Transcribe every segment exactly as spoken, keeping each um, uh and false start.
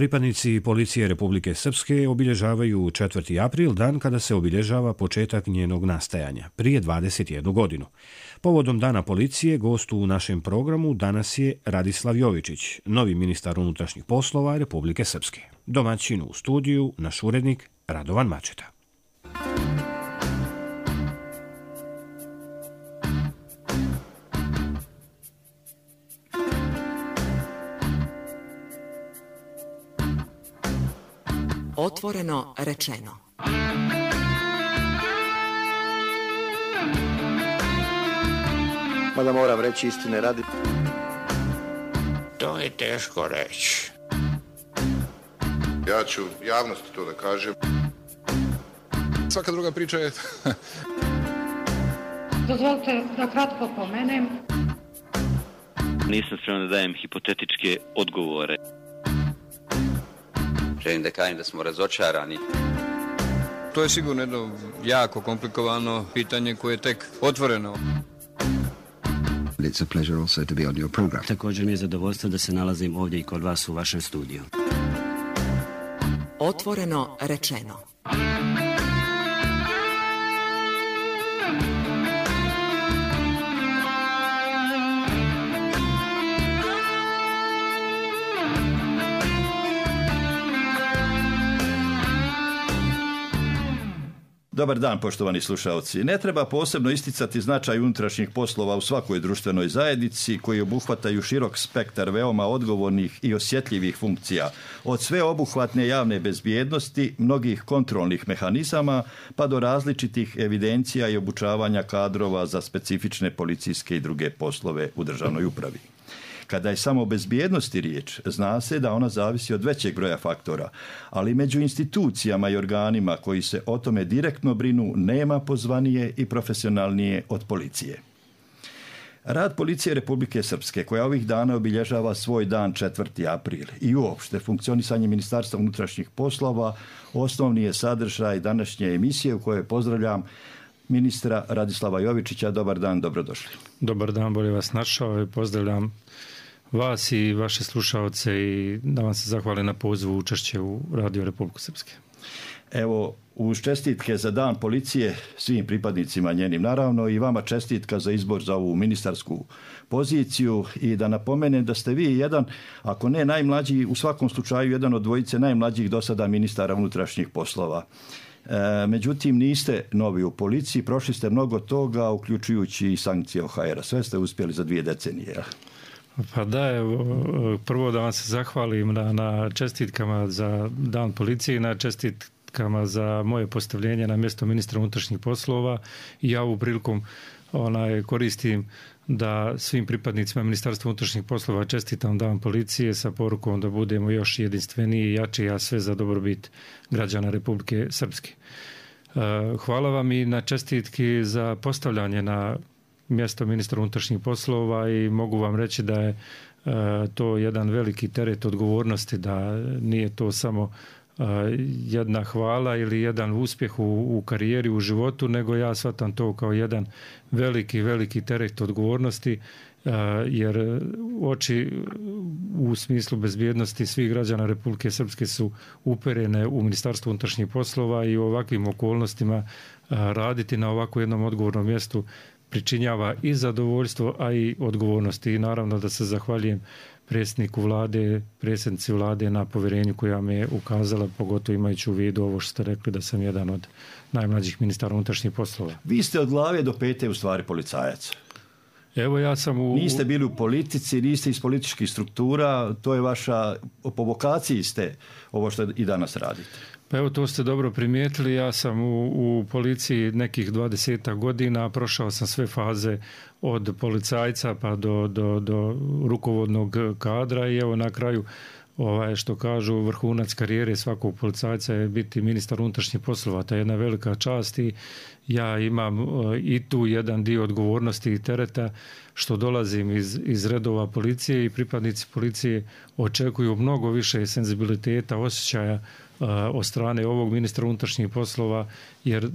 Pripadnici policije Republike Srpske obilježavaju četvrti april, dan kada se obilježava početak njenog nastajanja, prije dvadeset jednu godinu. Povodom Dana policije, gost u našem programu danas je Radislav Jovičić, novi ministar unutrašnjih poslova Republike Srpske. Domaćin u studiju, naš urednik Radovan Mačeta. Otvoreno rečeno. Mada moram reći istine radi. To je teško reći. Ja ću javnosti to da kažem. Svaka druga priča je... Dozvolite da kratko pomenem. Nisam spreman da dajem hipotetičke odgovore. Želim da kažem da smo razočarani. To je sigurno jedno jako komplikovano pitanje koje je tek otvoreno. It's a pleasure also to be on your program. Također mi je zadovoljstvo da se nalazim ovdje i kod vas u vašem studiju. Otvoreno rečeno. Dobar dan, poštovani slušalci. Ne treba posebno isticati značaj unutrašnjih poslova u svakoj društvenoj zajednici koji obuhvataju širok spektar veoma odgovornih i osjetljivih funkcija, od sveobuhvatne javne bezbjednosti, mnogih kontrolnih mehanizama, pa do različitih evidencija i obučavanja kadrova za specifične policijske i druge poslove u državnoj upravi. Kada je samo o bezbjednosti riječ, zna se da ona zavisi od većeg broja faktora, ali među institucijama i organima koji se o tome direktno brinu nema pozvanije i profesionalnije od policije. Rad policije Republike Srpske, koja ovih dana obilježava svoj dan četvrti april, i uopšte funkcionisanje Ministarstva unutrašnjih poslova, osnovni je sadržaj današnje emisije u kojoj pozdravljam ministra Radislava Jovičića. Dobar dan, dobrodošli. Dobar dan, bolje vas našao i pozdravljam vas i vaše slušaoce i da vam se zahvalim na pozivu učešće u Radio Republike Srpske. Evo, uz čestitke za dan policije svim pripadnicima njenim, naravno i vama čestitka za izbor za ovu ministarsku poziciju, i da napomenem da ste vi jedan, ako ne najmlađi, u svakom slučaju jedan od dvojice najmlađih do sada ministara unutrašnjih poslova. E, međutim, niste novi u policiji, prošli ste mnogo toga, uključujući i sankcije O H R-a. Sve ste uspjeli za dvije decenije. Pa da, evo, prvo da vam se zahvalim na, na čestitkama za dan policije i na čestitkama za moje postavljenje na mjesto ministra unutrašnjih poslova, i ja ovu prilikom onaj, koristim da svim pripadnicima Ministarstva unutrašnjih poslova čestitam dan policije sa porukom da budemo još jedinstveniji i jači, a sve za dobrobit građana Republike Srpske. Hvala vam i na čestitki za postavljanje na mjesto ministra unutrašnjih poslova, i mogu vam reći da je to jedan veliki teret odgovornosti, da nije to samo jedna hvala ili jedan uspjeh u, u karijeri, u životu, nego ja shvatam to kao jedan veliki, veliki teret odgovornosti, jer oči u smislu bezbjednosti svih građana Republike Srpske su uperene u Ministarstvo unutrašnjih poslova, i u ovakvim okolnostima raditi na ovako jednom odgovornom mjestu pričinjava i zadovoljstvo, a i odgovornosti. I naravno da se zahvaljujem predsjedniku vlade, predsjednici vlade na povjerenju koja me je ukazala, pogotovo imajući u vidu ovo što ste rekli da sam jedan od najmlađih ministara unutrašnjih poslova. Vi ste od glave do pete u stvari policajac. Evo ja sam u... Niste bili u politici, niste iz političkih struktura, to je vaša, po vokaciji ste ovo što i danas radite. Pa evo, to ste dobro primijetili, ja sam u, u policiji nekih dvadesetak godina, prošao sam sve faze od policajca pa do, do, do rukovodnog kadra, i evo na kraju ovaj, što kažu, vrhunac karijere svakog policajca je biti ministar unutrašnjih poslova. To je jedna velika čast, i ja imam i tu jedan dio odgovornosti i tereta, što dolazim iz, iz redova policije i pripadnici policije očekuju mnogo više senzibiliteta, osjećaja uh, od strane ovog ministra unutrašnjih poslova, jer uh,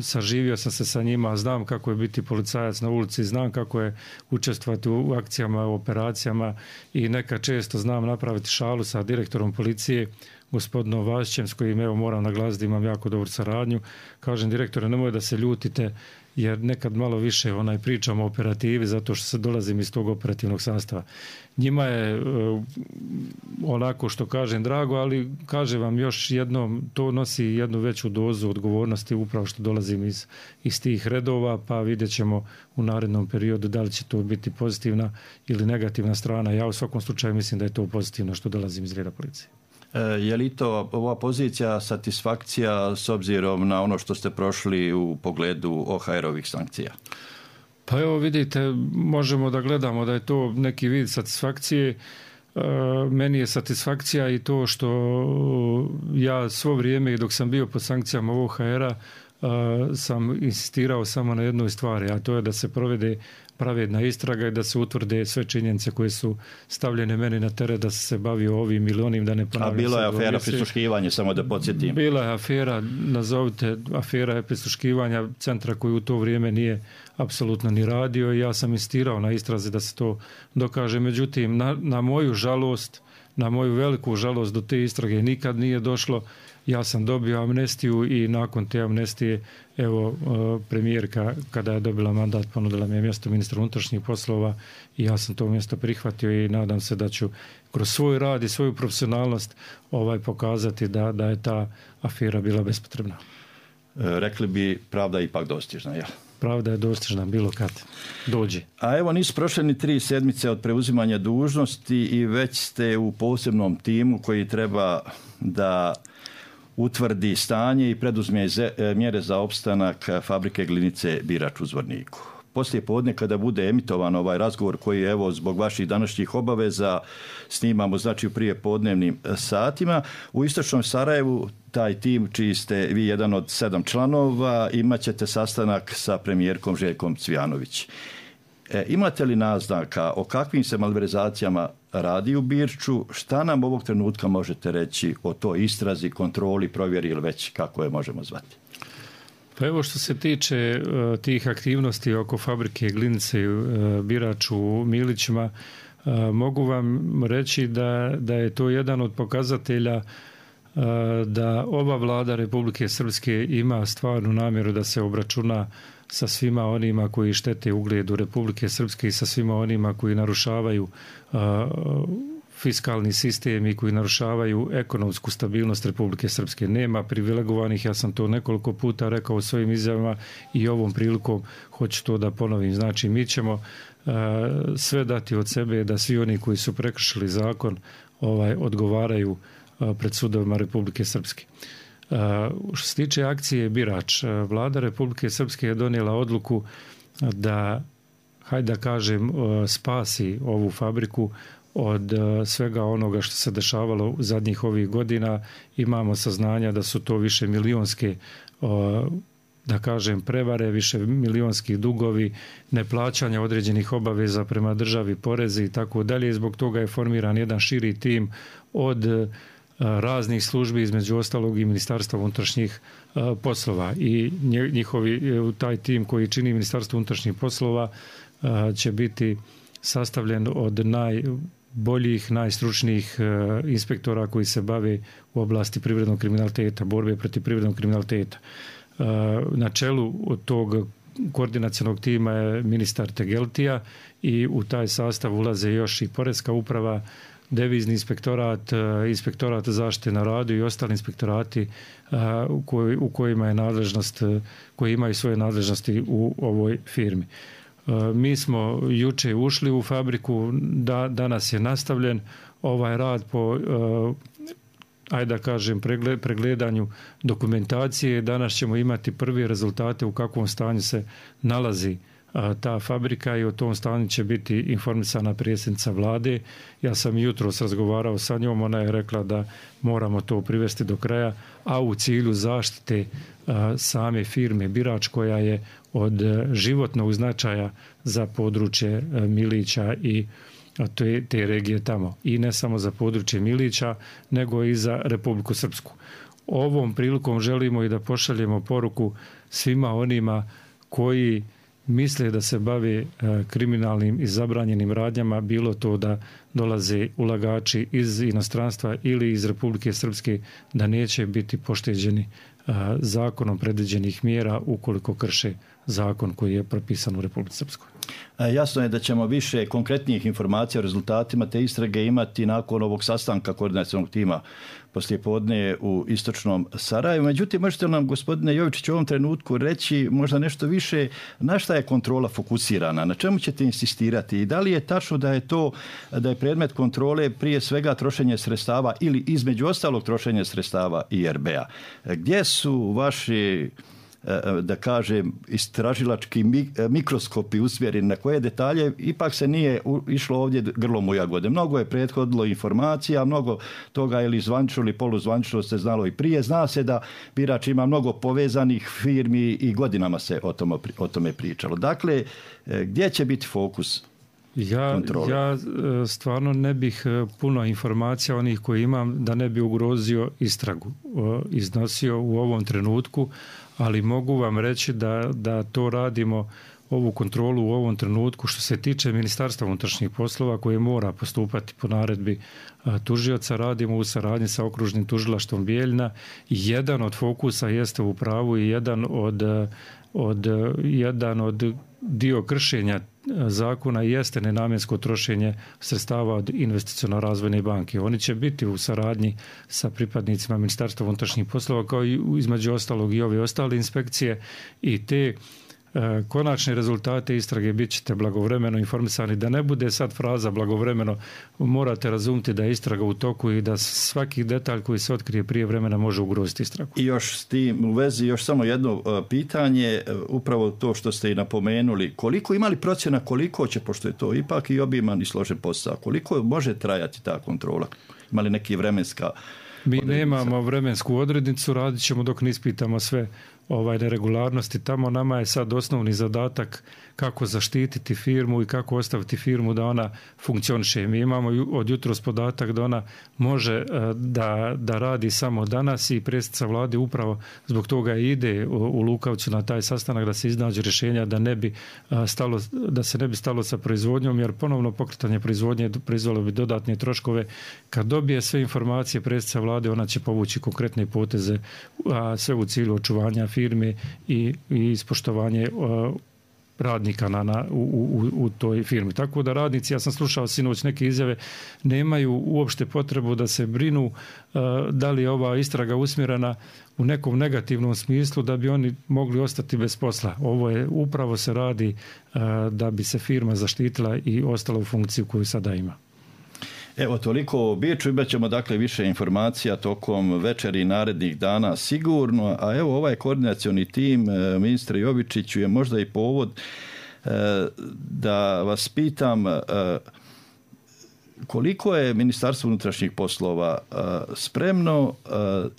saživio sam se sa njima, znam kako je biti policajac na ulici, znam kako je učestvovati u akcijama, u operacijama i nekad često znam napraviti šalu sa direktorom policije, gospodinom Vasićem, s kojim evo moram naglasiti imam jako dobru saradnju. Kažem, direktore, nemoj da se ljutite, jer nekad malo više onaj pričamo o operativi zato što se dolazim iz tog operativnog sastava. Njima je uh, onako što kažem drago, ali kažem vam još jednom, to nosi jednu veću dozu odgovornosti upravo što dolazim iz, iz tih redova, pa vidjet ćemo u narednom periodu da li će to biti pozitivna ili negativna strana. Ja u svakom slučaju mislim da je to pozitivno što dolazim iz reda policije. Je li to ova pozicija satisfakcija s obzirom na ono što ste prošli u pogledu O H R-ovih sankcija? Pa evo vidite, možemo da gledamo da je to neki vid satisfakcije. E, meni je satisfakcija i to što ja svo vrijeme i dok sam bio pod sankcijama O H R-a e, sam insistirao samo na jednoj stvari, a to je da se provede pravedna istraga i da se utvrde sve činjenice koje su stavljene meni na teret da se bavio ovim ili onim, da ne ponavljam. A bilo je afera prisluškivanja, samo da podsjetim. Bila je afera, nazovite, afera je prisluškivanja centra koji u to vrijeme nije apsolutno ni radio i ja sam insistirao na istrazi da se to dokaže. Međutim, na, na moju žalost, na moju veliku žalost do te istrage nikad nije došlo. Ja sam dobio amnestiju i nakon te amnestije, evo, premijerka kada je dobila mandat ponudila mi je mjesto ministra unutrašnjih poslova i ja sam to mjesto prihvatio i nadam se da ću kroz svoj rad i svoju profesionalnost ovaj pokazati da, da je ta afera bila bespotrebna. Rekli bi pravda ipak dostižna, jel? Pravda je dostižna bilo kad dođe. A evo nisu prošle ni tri sedmice od preuzimanja dužnosti i već ste u posebnom timu koji treba da utvrdi stanje i preduzme mjere za opstanak fabrike glinice Birač u Zvorniku. Poslije podne kada bude emitovan ovaj razgovor koji evo zbog vaših današnjih obaveza snimamo znači u prije podnevnim satima, u istočnom Sarajevu taj tim čiji ste vi jedan od sedam članova imat ćete sastanak sa premijerkom Željkom Cvijanović. E, imate li naznaka o kakvim se malverzacijama radi u Birču? Šta nam ovog trenutka možete reći o toj istrazi, kontroli, provjeri ili već kako je možemo zvati? Pa evo što se tiče uh, tih aktivnosti oko fabrike glinice uh, Birač u Milićima, uh, mogu vam reći da, da je to jedan od pokazatelja uh, da ova vlada Republike Srpske ima stvarnu namjeru da se obračuna sa svima onima koji štete ugledu Republike Srpske i sa svima onima koji narušavaju uh, fiskalni sistem i koji narušavaju ekonomsku stabilnost Republike Srpske. Nema privilegovanih, ja sam to nekoliko puta rekao u svojim izjavama i ovom prilikom hoću to da ponovim. Znači, mi ćemo uh, sve dati od sebe da svi oni koji su prekršili zakon ovaj, odgovaraju uh, pred sudovima Republike Srpske. Uh, što se tiče akcije Birač, uh, vlada Republike Srpske je donijela odluku da, hajde da kažem, uh, spasi ovu fabriku od uh, svega onoga što se dešavalo u zadnjih ovih godina. Imamo saznanja da su to više milionske uh, da kažem prevare, više milionski dugovi, neplaćanja određenih obaveza prema državi, porezi i tako dalje. Zbog toga je formiran jedan širi tim od uh, raznih službi, između ostalog i Ministarstva unutrašnjih uh, poslova i njihovi, taj tim koji čini Ministarstvo unutrašnjih poslova uh, će biti sastavljen od najboljih, najstručnijih uh, inspektora koji se bave u oblasti privrednog kriminaliteta, borbe protiv privrednog kriminaliteta. Uh, na čelu od tog koordinacionog tima je ministar Tegeltija i u taj sastav ulaze još i Poreska uprava, Devizni inspektorat, inspektorat zaštite na radu i ostali inspektorati u, koj, u kojima je nadležnost, koji imaju svoje nadležnosti u ovoj firmi. Mi smo juče ušli u fabriku, da, danas je nastavljen ovaj rad po, ajde da kažem, pregledanju dokumentacije. Danas ćemo imati prvi rezultate u kakvom stanju se nalazi ta fabrika i o tom stanju će biti informisana predsjednica vlade. Ja sam jutros razgovarao sa njom, ona je rekla da moramo to privesti do kraja, a u cilju zaštite same firme Birač koja je od životnog značaja za područje Milića i te, te regije tamo. I ne samo za područje Milića, nego i za Republiku Srpsku. Ovom prilikom želimo i da pošaljemo poruku svima onima koji misle da se bave kriminalnim i zabranjenim radnjama, bilo to da dolaze ulagači iz inostranstva ili iz Republike Srpske, da neće biti pošteđeni zakonom predviđenih mjera ukoliko krše zakon koji je propisan u Republici Srpskoj. Jasno je da ćemo više konkretnijih informacija o rezultatima te istrage imati nakon ovog sastanka koordinacionog tima poslijepodne u istočnom Sarajevu. Međutim, možete li nam, gospodine Jovičić, u ovom trenutku reći možda nešto više na šta je kontrola fokusirana, na čemu ćete insistirati i da li je tačno da je to, da je predmet kontrole prije svega trošenje sredstava ili između ostalog trošenje sredstava I R B-a. Gdje su vaši, da kažem, istražilački mikroskopi usmjereni, na koje detalje ipak se nije išlo ovdje grlom u jagode. Mnogo je prethodilo informacija, mnogo toga ili zvanično ili poluzvanično se znalo i prije. Zna se da Birač ima mnogo povezanih firmi i godinama se o tome, o tome pričalo. Dakle, gdje će biti fokus Ja, kontrole? ja stvarno ne bih puno informacija onih koji imam da ne bi ugrozio istragu iznosio u ovom trenutku, ali mogu vam reći da, da to radimo, ovu kontrolu u ovom trenutku što se tiče Ministarstva unutrašnjih poslova koje mora postupati po naredbi tužioca, radimo u saradnji sa okružnim tužilaštvom Bijeljina. Jedan od fokusa jeste u pravu i jedan od, od, jedan od dio kršenja zakona jeste nenamjensko trošenje sredstava od investiciono-razvojne banke. Oni će biti u saradnji sa pripadnicima Ministarstva unutrašnjih poslova kao i između ostalog i ove ostale inspekcije i te konačne rezultate istrage bit ćete blagovremeno informisani. Da ne bude sad fraza blagovremeno, morate razumjeti da je istraga u toku i da svaki detalj koji se otkrije prije vremena može ugroziti istragu. I još s tim u vezi još samo jedno pitanje, upravo to što ste i napomenuli, koliko imali procjena koliko će, pošto je to ipak i obiman i složen posao, koliko može trajati ta kontrola? Imali neki vremenska Mi odrednica? Nemamo vremensku odrednicu, radit ćemo dok ne ispitamo sve ovaj neregularnosti. Tamo nama je sad osnovni zadatak kako zaštititi firmu i kako ostaviti firmu da ona funkcioniše. Mi imamo od jutros podatak da ona može da, da radi samo danas i predsjednica vlade upravo zbog toga ide u Lukavcu na taj sastanak da se iznađe rješenja da ne bi stalo, da se ne bi stalo sa proizvodnjom, jer ponovno pokretanje proizvodnje proizvelo bi dodatne troškove. Kad dobije sve informacije predsjednica vlade, ona će povući konkretne poteze, a sve u cilju očuvanja firme i, i ispoštovanje radnika na, na, u, u, u toj firmi. Tako da radnici, ja sam slušao sinoć neke izjave, nemaju uopšte potrebu da se brinu uh, da li je ova istraga usmjerena u nekom negativnom smislu da bi oni mogli ostati bez posla. Ovo je, upravo se radi uh, da bi se firma zaštitila i ostala u funkciju koju sada ima. Evo, toliko o Biču, imat ćemo dakle više informacija tokom večeri i narednih dana sigurno, a evo ovaj koordinacioni tim, ministre Jovičiću, je možda i povod da vas pitam koliko je Ministarstvo unutrašnjih poslova spremno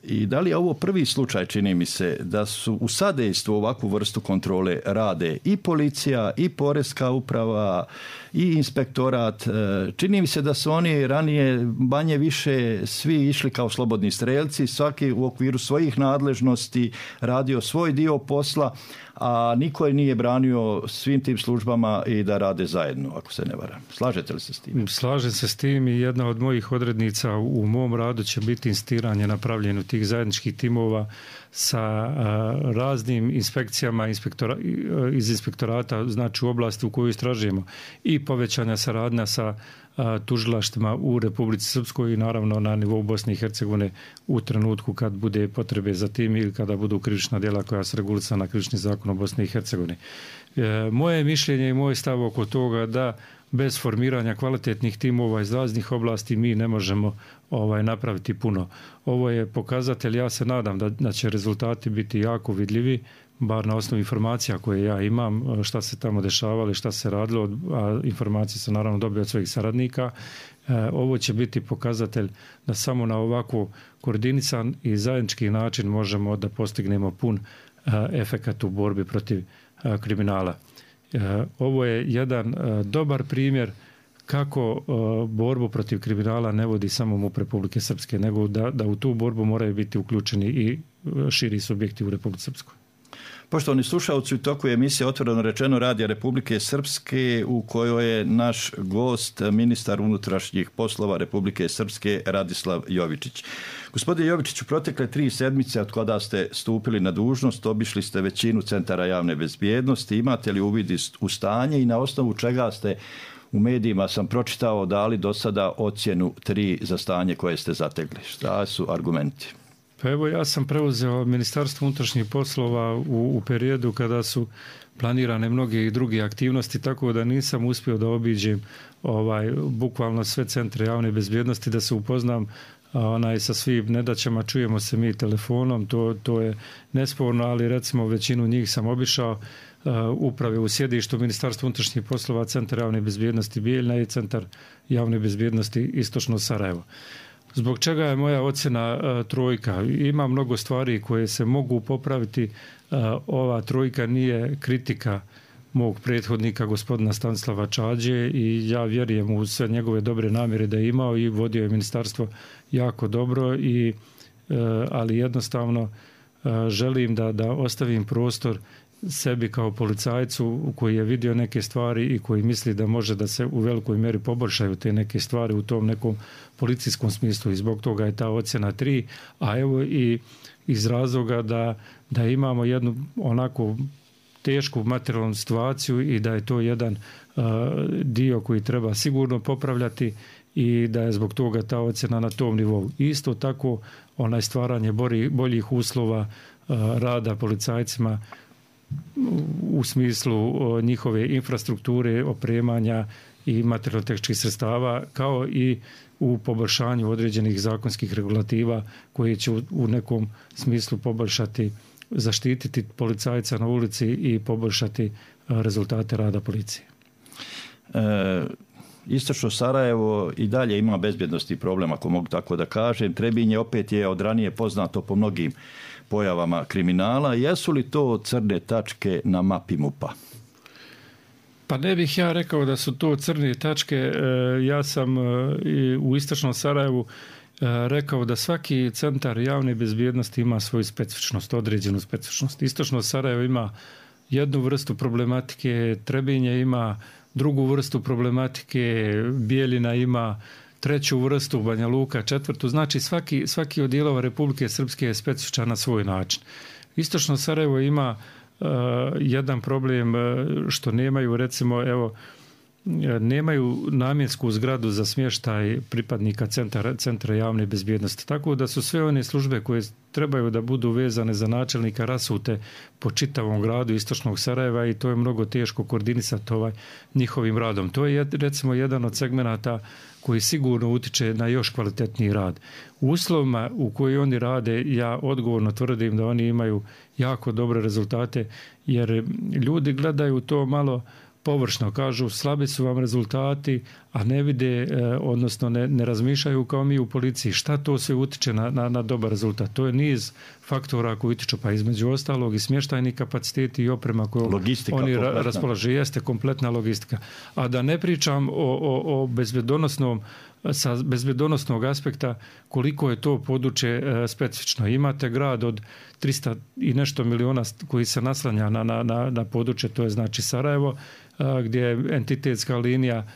i da li je ovo prvi slučaj, čini mi se, da su u sadejstvu ovakvu vrstu kontrole rade i policija, i poreska uprava, i inspektorat. Čini mi se da su oni ranije manje više svi išli kao slobodni strelci, svaki u okviru svojih nadležnosti radio svoj dio posla, a niko je nije branio svim tim službama i da rade zajedno, ako se ne varam. Slažete li se s tim? Slažem se s tim i jedna od mojih odrednica u mom radu će biti insistiranje na pravljenju tih zajedničkih timova sa a, raznim inspekcijama inspektora, iz inspektorata, znači u oblasti u kojoj istražujemo, i povećanja saradnja sa a, tužilaštvima u Republici Srpskoj i naravno na nivou Bosne i Hercegovine u trenutku kad bude potrebe za tim ili kada budu krivična djela koja se regulisana na krivični zakon o Bosni i Hercegovini. E, moje mišljenje i moj stav oko toga da bez formiranja kvalitetnih timova iz raznih oblasti mi ne možemo ovaj napraviti puno. Ovo je pokazatelj, ja se nadam da, da će rezultati biti jako vidljivi, bar na osnovu informacija koje ja imam, šta se tamo dešavalo i šta se radilo, a informacije sam naravno dobio od svojih saradnika. Ovo će biti pokazatelj da samo na ovako koordinisan i zajednički način možemo da postignemo pun efekat u borbi protiv kriminala. Ovo je jedan dobar primjer kako borbu protiv kriminala ne vodi samo MUP Republike Srpske, nego da, da u tu borbu moraju biti uključeni i širi subjekti u Republici Srpskoj. Poštovani slušalci, u toku je emisija Otvoreno rečeno Radija Republike Srpske u kojoj je naš gost ministar unutrašnjih poslova Republike Srpske Radislav Jovičić. Gospodine Jovičiću, protekle tri sedmice od kada ste stupili na dužnost, obišli ste većinu centara javne bezbjednosti. Imate li uvid u stanje i na osnovu čega ste u medijima sam pročitao dali do sada ocjenu tri za stanje koje ste zategli? Šta su argumenti? Pa evo, ja sam preuzeo Ministarstvo unutrašnjih poslova u, u periodu kada su planirane mnoge i druge aktivnosti, tako da nisam uspio da obiđem ovaj, bukvalno sve centre javne bezbjednosti, da se upoznam onaj, sa svim nedaćama. Čujemo se mi telefonom, to, to je nesporno, ali recimo većinu njih sam obišao. Uh, uprave u sjedištu Ministarstva unutrašnjih poslova, Centar javne bezbjednosti Bijeljina i Centar javne bezbjednosti Istočno Sarajevo. Zbog čega je moja ocjena uh, trojka? Ima mnogo stvari koje se mogu popraviti. Uh, ova trojka nije kritika mog prethodnika gospodina Stanislava Čađe i ja vjerujem u sve njegove dobre namjere da je imao i vodio je ministarstvo jako dobro, i, uh, ali jednostavno uh, želim da, da ostavim prostor sebi kao policajcu koji je vidio neke stvari i koji misli da može da se u velikoj mjeri poboljšaju te neke stvari u tom nekom policijskom smislu, i zbog toga je ta ocjena tri, a evo i iz razloga da, da imamo jednu onako tešku materijalnu situaciju i da je to jedan uh, dio koji treba sigurno popravljati i da je zbog toga ta ocjena na tom nivou. Isto tako onaj stvaranje boljih, boljih uslova uh, rada policajcima u smislu njihove infrastrukture, opremanja i materijalno-tehničkih sredstava, kao i u poboljšanju određenih zakonskih regulativa koje će u nekom smislu poboljšati, zaštititi policajca na ulici i poboljšati rezultate rada policije. E, Istočno Sarajevo i dalje ima bezbjednosti problem, ako mogu tako da kažem. Trebinje opet je od ranije poznato po mnogim pojavama kriminala. Jesu li to crne tačke na mapi MUP-a? Pa ne bih ja rekao da su to crne tačke. Ja sam u Istočnom Sarajevu rekao da svaki centar javne bezbjednosti ima svoju specifičnost, određenu specifičnost. Istočno Sarajevo ima jednu vrstu problematike, Trebinje ima drugu vrstu problematike, Bijeljina ima treću vrstu, Banja Luka četvrtu. Znači svaki, svaki od dijelova Republike Srpske je specifičan na svoj način. Istočno Sarajevo ima uh, jedan problem što nemaju, recimo, evo, nemaju namjensku zgradu za smještaj pripadnika centra, centra javne bezbjednosti. Tako da su sve one službe koje trebaju da budu vezane za načelnika rasute po čitavom gradu Istočnog Sarajeva i to je mnogo teško koordinisati ovaj njihovim radom. To je recimo jedan od segmenata koji sigurno utiče na još kvalitetniji rad. U uslovima u koji oni rade, ja odgovorno tvrdim da oni imaju jako dobre rezultate, jer ljudi gledaju to malo površno, kažu slabi su vam rezultati, a ne vide, odnosno ne, ne razmišljaju kao mi u policiji. Šta to sve utiče na, na, na dobar rezultat? To je niz faktora koji utiču, pa između ostalog i smještajni kapaciteti i oprema koju logistika oni kompletna. raspolaže, jeste kompletna logistika. A da ne pričam o, o, o bezbjedonosnom, sa bezbjedonosnog aspekta koliko je to područje e, specifično. Imate grad od tristo i nešto miliona koji se naslanja na, na, na, na područje, to je znači Sarajevo, a, gdje je entitetska linija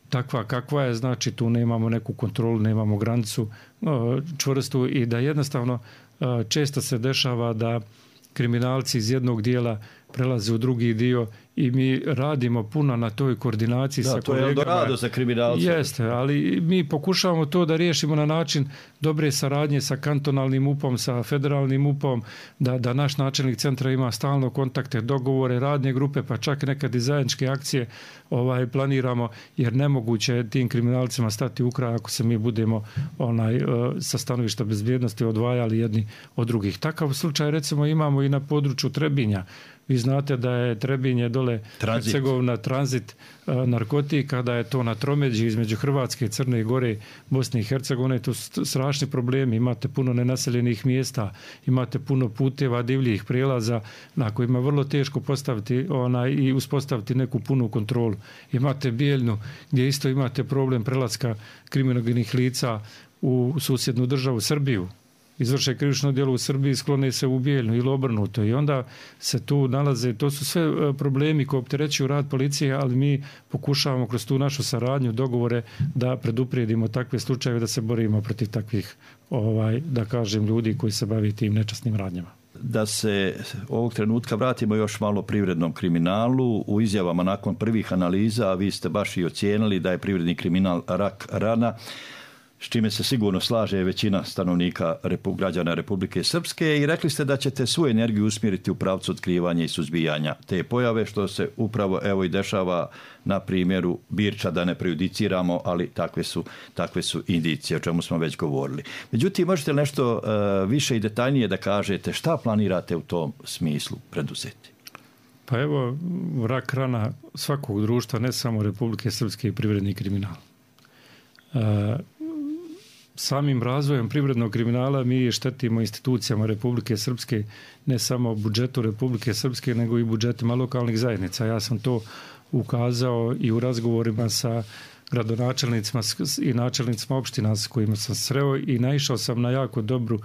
takva kakva je, znači tu nemamo neku kontrolu, nemamo granicu a, čvrstu i da jednostavno a, često se dešava da kriminalci iz jednog dijela prelazi u drugi dio i mi radimo puno na toj koordinaciji da, sa kolegama. To je Eldorado za kriminalce. Jeste, ali mi pokušavamo to da riješimo na način dobre saradnje sa kantonalnim U P om, sa federalnim U P om, da, da naš načelnik centra ima stalno kontakte, dogovore, radne grupe, pa čak nekad i zajedničke akcije ovaj, planiramo, jer nemoguće je tim kriminalcima stati u kraj ako se mi budemo onaj, sa stanovišta bezbjednosti odvajali jedni od drugih. Takav slučaj recimo imamo i na području Trebinja. Vi znate da je Trebinje dole tranzit. Hercegovina tranzit a, narkotika, da je to na tromeđi između Hrvatske, Crne Gore, Bosne i Hercegovine. To su strašni problemi. Imate puno nenaseljenih mjesta, imate puno puteva, divljih prijelaza na kojima je vrlo teško postaviti onaj, i uspostaviti neku punu kontrolu. Imate Bijeljnu gdje isto imate problem prelaska kriminogenih lica u susjednu državu Srbiju. Izvrše krivično djelo u Srbiji, sklone se u Bijeljnu ili obrnuto i onda se tu nalaze, to su sve problemi koji opterećuju rad policije, ali mi pokušavamo kroz tu našu saradnju, dogovore da preduprijedimo takve slučajeve, da se borimo protiv takvih, ovaj, da kažem, ljudi koji se bavi tim nečasnim radnjama. Da se ovog trenutka vratimo još malo privrednom kriminalu. U izjavama nakon prvih analiza vi ste baš i ocijenili da je privredni kriminal rak rana, s čime se sigurno slaže većina stanovnika građana Republike Srpske, i rekli ste da ćete svu energiju usmjeriti u pravcu otkrivanja i suzbijanja te pojave, što se upravo evo i dešava na primjeru Birča, da ne prejudiciramo, ali takve su, takve su indicije, o čemu smo već govorili. Međutim, možete li nešto uh, više i detaljnije da kažete šta planirate u tom smislu preduzeti? Pa evo, rak rana svakog društva, ne samo Republike Srpske, i privredni kriminal. Uh, Samim razvojem privrednog kriminala mi štetimo institucijama Republike Srpske, ne samo budžetu Republike Srpske, nego i budžetima lokalnih zajednica. Ja sam to ukazao i u razgovorima sa gradonačelnicima i načelnicima opština s kojima sam sreo i naišao sam na jako dobru,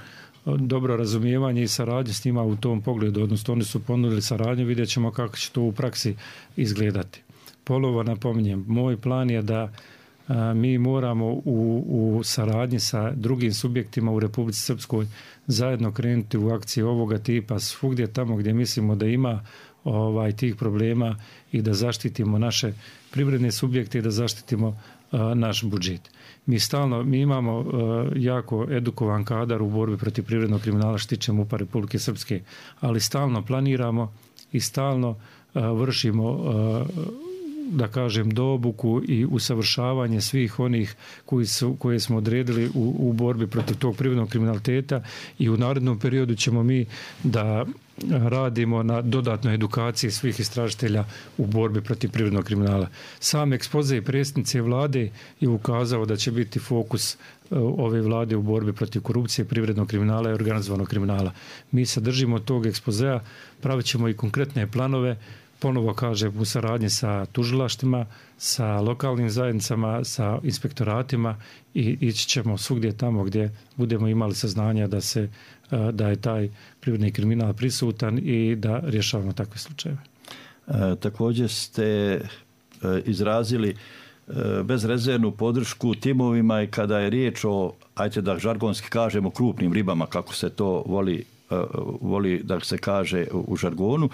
dobro razumijevanje i saradnju s njima u tom pogledu. Odnosno, oni su ponudili saradnju, vidjet ćemo kako će to u praksi izgledati. Ponovo napominjem, moj plan je da mi moramo u, u saradnji sa drugim subjektima u Republici Srpskoj zajedno krenuti u akcije ovoga tipa svugdje tamo gdje mislimo da ima ovaj, tih problema i da zaštitimo naše privredne subjekte i da zaštitimo a, naš budžet. Mi stalno, mi imamo a, jako edukovan kadar u borbi protiv privrednog kriminala što tiče M U P-a Republike Srpske, ali stalno planiramo i stalno a, vršimo a, da kažem, doobuku i usavršavanje svih onih koji su, koje smo odredili u, u borbi protiv tog privrednog kriminaliteta, i u narednom periodu ćemo mi da radimo na dodatnoj edukaciji svih istražitelja u borbi protiv privrednog kriminala. Sam ekspoze i predsjednice vlade je ukazao da će biti fokus ove vlade u borbi protiv korupcije, privrednog kriminala i organizovanog kriminala. Mi se držimo tog ekspozea, pravit ćemo i konkretne planove, ponovo kažem, u saradnji sa tužilaštima, sa lokalnim zajednicama, sa inspektoratima, i ići ćemo svugdje tamo gdje budemo imali saznanja da se da je taj privredni kriminal prisutan i da rješavamo takve slučajeve. E, također ste e, izrazili e, bezrezervnu podršku timovima i kada je riječ o, ajte da žargonski kažemo, krupnim ribama, kako se to voli voli da se kaže u žargonu.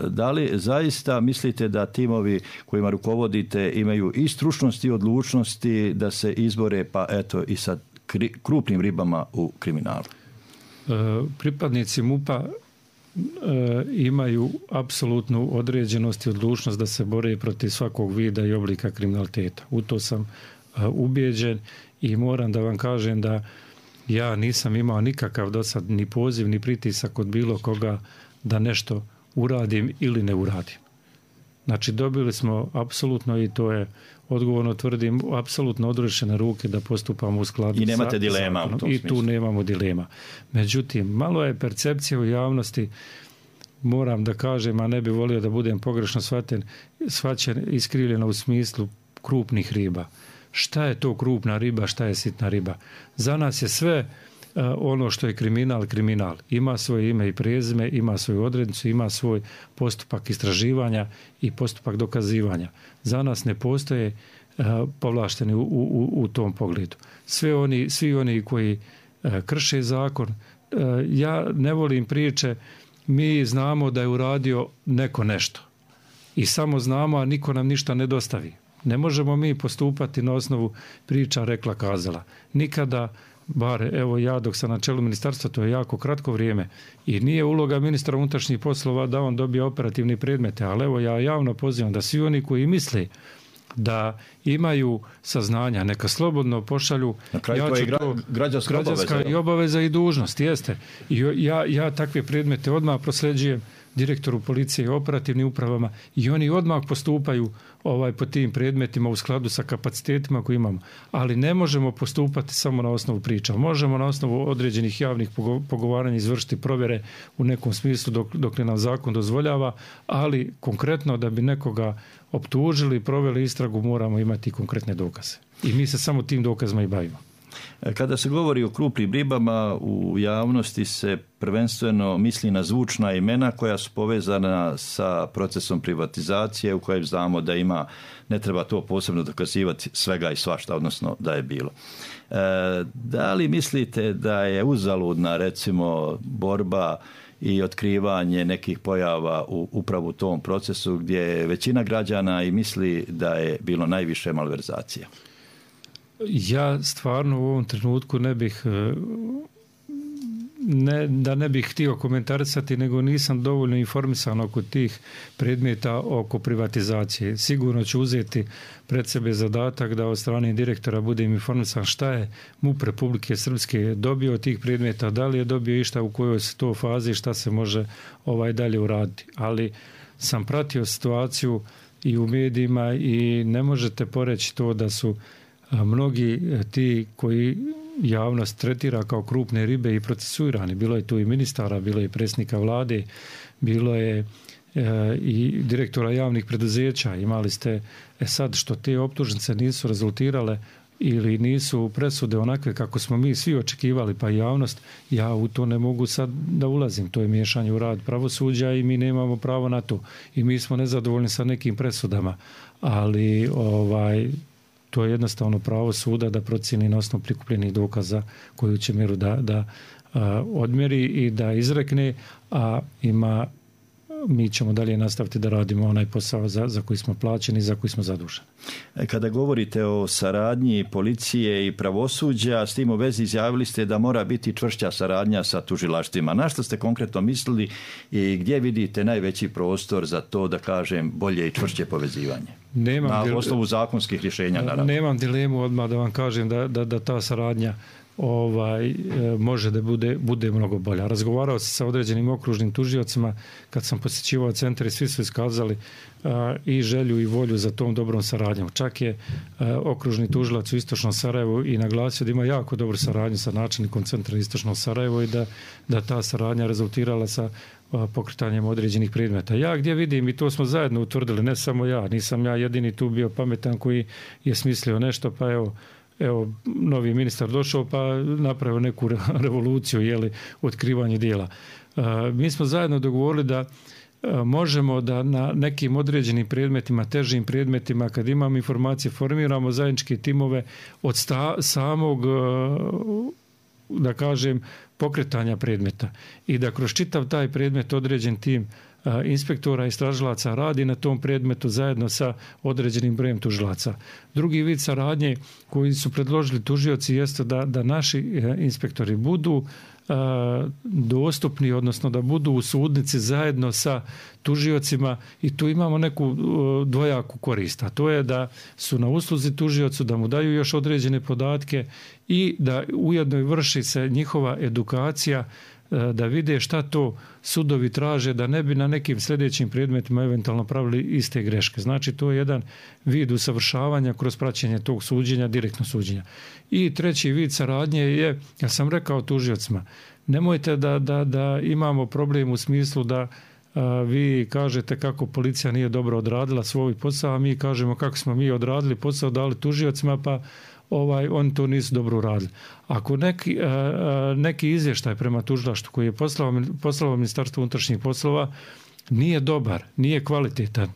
Da li zaista mislite da timovi kojima rukovodite imaju i stručnosti i odlučnosti da se izbore, pa eto, i sa krupnim ribama u kriminalu? Pripadnici M U P-a imaju apsolutnu određenost i odlučnost da se bore protiv svakog vida i oblika kriminaliteta. U to sam ubijeđen i moram da vam kažem da ja nisam imao nikakav do sad ni poziv, ni pritisak od bilo koga da nešto uradim ili ne uradim. Znači, dobili smo apsolutno, i to je odgovorno tvrdim, apsolutno odrešene ruke da postupamo u skladu sa I nemate dilema zakonom. u tom I smislu. tu nemamo dilema. Međutim, malo je percepcija u javnosti, moram da kažem, a ne bi volio da budem pogrešno shvaćen, shvaćen iskrivljeno u smislu krupnih riba. Šta je to krupna riba, šta je sitna riba? Za nas je sve uh, ono što je kriminal, kriminal. Ima svoje ime i prezime, ima svoju odrednicu, ima svoj postupak istraživanja i postupak dokazivanja. Za nas ne postoje uh, povlašteni u, u, u tom pogledu. Sve oni, svi oni koji uh, krše zakon, uh, ja ne volim priče mi znamo da je uradio neko nešto. I samo znamo, a niko nam ništa ne dostavi. Ne možemo mi postupati na osnovu priča rekla kazala. Nikada, bar evo ja dok sam na čelu ministarstva, to je jako kratko vrijeme i nije uloga ministra unutrašnjih poslova da on dobije operativne predmete, ali evo ja javno pozivam da svi oni koji misle da imaju saznanja, neka slobodno pošalju. Na kraju ja to je gra, građanska, građanska obaveza. i obaveza i dužnost, jeste. I ja, ja takve predmete odmah prosljeđujem direktoru policije i operativnim upravama i oni odmah postupaju ovaj, po tim predmetima u skladu sa kapacitetima koje imamo. Ali ne možemo postupati samo na osnovu priča. Možemo na osnovu određenih javnih pogovaranja izvršiti provjere u nekom smislu dok, dok ne nam zakon dozvoljava, ali konkretno da bi nekoga optužili, proveli istragu, moramo imati konkretne dokaze. I mi se samo tim dokazima i bavimo. Kada se govori o krupnim ribama, u javnosti se prvenstveno misli na zvučna imena koja su povezana sa procesom privatizacije u kojem znamo da ima, ne treba to posebno dokazivati, svega i svašta, odnosno da je bilo. E, da li mislite da je uzaludna recimo borba i otkrivanje nekih pojava u upravo u tom procesu gdje je većina građana i misli da je bilo najviše malverzacija? Ja stvarno u ovom trenutku ne bih, ne, da ne bih htio komentarisati, nego nisam dovoljno informisan oko tih predmeta oko privatizacije. Sigurno ću uzeti pred sebe zadatak da od strane direktora budem informisan šta je MUP Republike Srpske dobio od tih predmeta, da li je dobio išta, u kojoj se to fazi, šta se može ovaj dalje uraditi. Ali sam pratio situaciju i u medijima i ne možete poreći to da su a mnogi ti koji javnost tretira kao krupne ribe i procesuirani. Bilo je tu i ministara, bilo je i predsjednika vlade, bilo je e, i direktora javnih preduzeća. Imali ste, e sad što te optužnice nisu rezultirale ili nisu presude onakve kako smo mi svi očekivali, pa i javnost, ja u to ne mogu sad da ulazim. To je miješanje u rad pravosuđa i mi nemamo pravo na to. I mi smo nezadovoljni sa nekim presudama, ali ovaj to je jednostavno pravo suda da procijeni na osnovu prikupljenih dokaza koju će mjeru da, da a, odmjeri i da izrekne, a ima, mi ćemo dalje nastaviti da radimo onaj posao za, za koji smo plaćeni i za koji smo zaduženi. Kada govorite o saradnji policije i pravosuđa, s tim u vezi izjavili ste da mora biti čvršća saradnja sa tužilaštvima. Na što ste konkretno mislili i gdje vidite najveći prostor za to, da kažem, bolje i čvršće povezivanje? Nemam na dil... osnovu zakonskih rješenja, naravno. Nemam dilemu odmah da vam kažem da, da, da ta saradnja ovaj, može da bude, bude mnogo bolja. Razgovarao sam sa određenim okružnim tužiocima kad sam posjećivao centar i svi su iskazali a, i želju i volju za tom dobrom saradnjom. Čak je a, okružni tužilac u Istočnom Sarajevu i naglasio da ima jako dobru saradnju sa načelnikom centra Istočnog Sarajevo i da, da ta saradnja rezultirala sa a, pokretanjem određenih predmeta. Ja gdje vidim, i to smo zajedno utvrdili, ne samo ja, nisam ja jedini tu bio pametan koji je smislio nešto, pa evo Evo, novi ministar došao pa napravio neku revoluciju, jeli, otkrivanje dijela. E, mi smo zajedno dogovorili da e, možemo da na nekim određenim predmetima, težim predmetima, kad imamo informacije, formiramo zajedničke timove od sta, samog, e, da kažem, pokretanja predmeta. I da kroz čitav taj predmet određen tim inspektora i istražilaca radi na tom predmetu zajedno sa određenim brojem tužilaca. Drugi vid saradnje koji su predložili tužioci jeste da, da naši inspektori budu a, dostupni, odnosno da budu u sudnici zajedno sa tužiocima i tu imamo neku a, dvojaku korist. A to je da su na usluzi tužiocu, da mu daju još određene podatke i da ujedno vrši se njihova edukacija da vide šta to sudovi traže, da ne bi na nekim sljedećim predmetima eventualno pravili iste greške. Znači, to je jedan vid usavršavanja kroz praćenje tog suđenja, direktno suđenja. I treći vid saradnje je, ja sam rekao tužiocima, nemojte da, da, da imamo problem u smislu da a, vi kažete kako policija nije dobro odradila svoj posao, a mi kažemo kako smo mi odradili posao, dali tužiocima, pa ovaj, oni to nisu dobro uradili. Ako neki, a, neki izvještaj prema tužilaštvu koji je poslao, poslao Ministarstvo unutrašnjih poslova nije dobar, nije kvalitetan,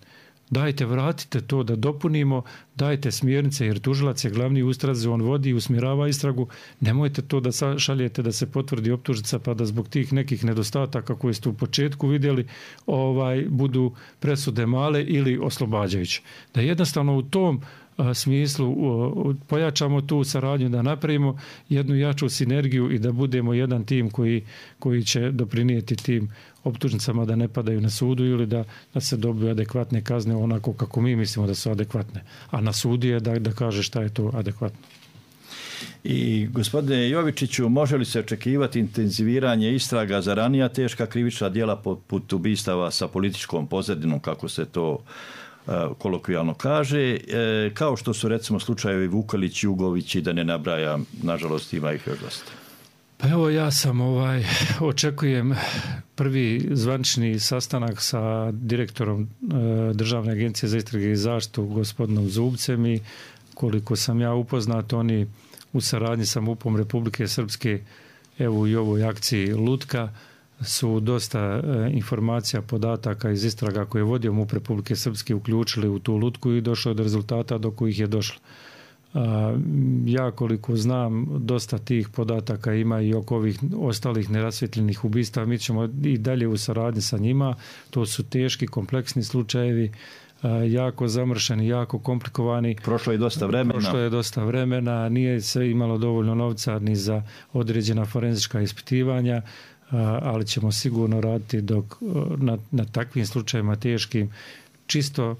dajte vratite to da dopunimo, dajte smjernice jer tužilac je glavni u istrazi, on vodi i usmjerava istragu, nemojte to da šaljete da se potvrdi optužnica pa da zbog tih nekih nedostataka koje ste u početku vidjeli ovaj, budu presude male ili oslobađajuće. Da jednostavno u tom smislu pojačamo tu saradnju, da napravimo jednu jaču sinergiju i da budemo jedan tim koji, koji će doprinijeti tim optužnicama da ne padaju na sudu ili da, da se dobiju adekvatne kazne onako kako mi mislimo da su adekvatne. A na sudu je da, da kaže šta je to adekvatno. I gospodine Jovičiću, može li se očekivati intenziviranje istraga za ranija teška krivična djela poput ubistava sa političkom pozadinom, kako se to kolokvijalno kaže, kao što su recimo slučajevi Vukelić, Jugović i da ne nabrajam, nažalost ima ih još dosta. Pa evo ja sam ovaj, očekujem prvi zvanični sastanak sa direktorom Državne agencije za istrage i zaštitu gospodinom Zubcem i koliko sam ja upoznat, oni u saradnji sa MUP-om Republike Srpske evo i ovoj akciji Lutka su dosta informacija, podataka iz istraga koje je vodio MUP Republike Srpske uključili u tu lutku i došlo do rezultata do kojih je došlo. Ja koliko znam, dosta tih podataka ima i oko ovih ostalih nerasvjetljenih ubistava. Mi ćemo i dalje u saradnji sa njima. To su teški, kompleksni slučajevi, jako zamršeni, jako komplikovani. Prošlo je dosta vremena. Prošlo je dosta vremena, nije se imalo dovoljno novca ni za određena forenzička ispitivanja, ali ćemo sigurno raditi dok na, na takvim slučajevima teškim čisto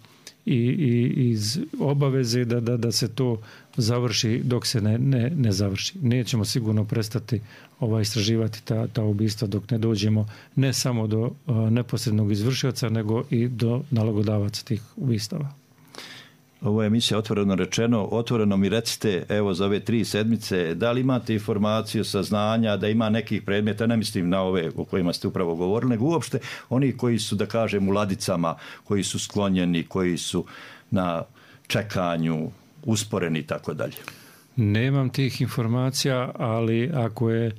i, i iz obaveze da, da, da se to završi dok se ne, ne, ne završi. Nećemo sigurno prestati ovaj, istraživati ta, ta ubistva dok ne dođemo ne samo do uh, neposrednog izvršioca nego i do nalogodavaca tih ubistava. Ovo je emisija Otvoreno rečeno. Otvoreno mi recite, evo za ove tri sedmice, da li imate informaciju, saznanja da ima nekih predmeta, ne mislim na ove o kojima ste upravo govorili, nego uopšte oni koji su, da kažem, u ladicama, koji su sklonjeni, koji su na čekanju, usporeni i tako dalje. Nemam tih informacija, ali ako je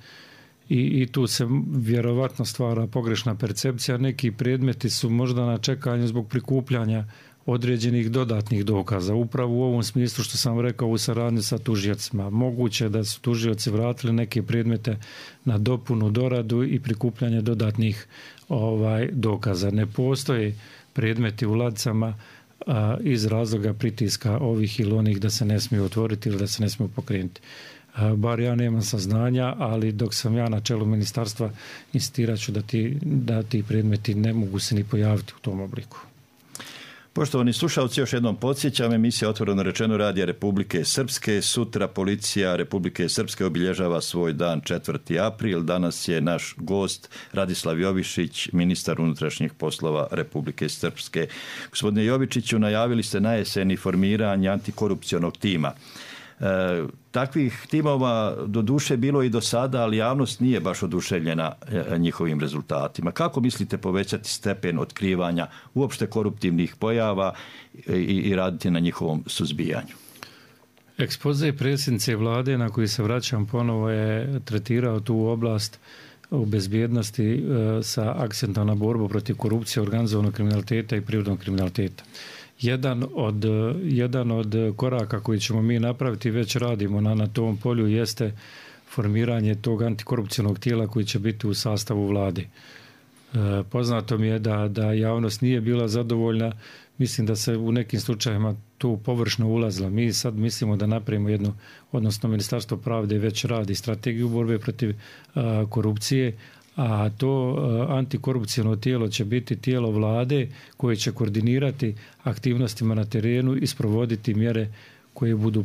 i, i tu se vjerovatno stvara pogrešna percepcija, neki predmeti su možda na čekanju zbog prikupljanja određenih dodatnih dokaza. Upravo u ovom smislu što sam rekao u saradnji sa tužiocima. Moguće da su tužioci vratili neke predmete na dopunu, doradu i prikupljanje dodatnih ovaj, dokaza. Ne postoje predmeti u ladicama a, iz razloga pritiska ovih ili onih da se ne smiju otvoriti ili da se ne smiju pokrenuti. A, bar ja nemam saznanja, ali dok sam ja na čelu ministarstva insistirat ću da ti, da ti predmeti ne mogu se ni pojaviti u tom obliku. Poštovani slušalci, još jednom podsjećam, emisija Otvoreno rečeno Radija Republike Srpske. Sutra policija Republike Srpske obilježava svoj dan četvrti april. Danas je naš gost Radislav Jovišić, ministar unutrašnjih poslova Republike Srpske. Gospodine Jovičiću, najavili ste na jeseni formiranje antikorupcionog tima. E, takvih timova do duše bilo i do sada, ali javnost nije baš oduševljena e, njihovim rezultatima. Kako mislite povećati stepen otkrivanja uopšte koruptivnih pojava i, i raditi na njihovom suzbijanju? Ekspoze predsjednice vlade na koji se vraćam ponovo je tretirao tu oblast u bezbjednosti e, sa akcentom na borbu protiv korupcije, organizovanog kriminaliteta i prirodnog kriminaliteta. Jedan od, jedan od koraka koji ćemo mi napraviti, već radimo na, na tom polju, jeste formiranje tog antikorupcionog tijela koji će biti u sastavu vlade. E, poznato mi je da, da javnost nije bila zadovoljna. Mislim da se u nekim slučajevima tu površno ulazila. Mi sad mislimo da napravimo jednu, odnosno Ministarstvo pravde već radi strategiju borbe protiv a, korupcije, a to antikorupcijno tijelo će biti tijelo vlade koje će koordinirati aktivnostima na terenu i sprovoditi mjere koje budu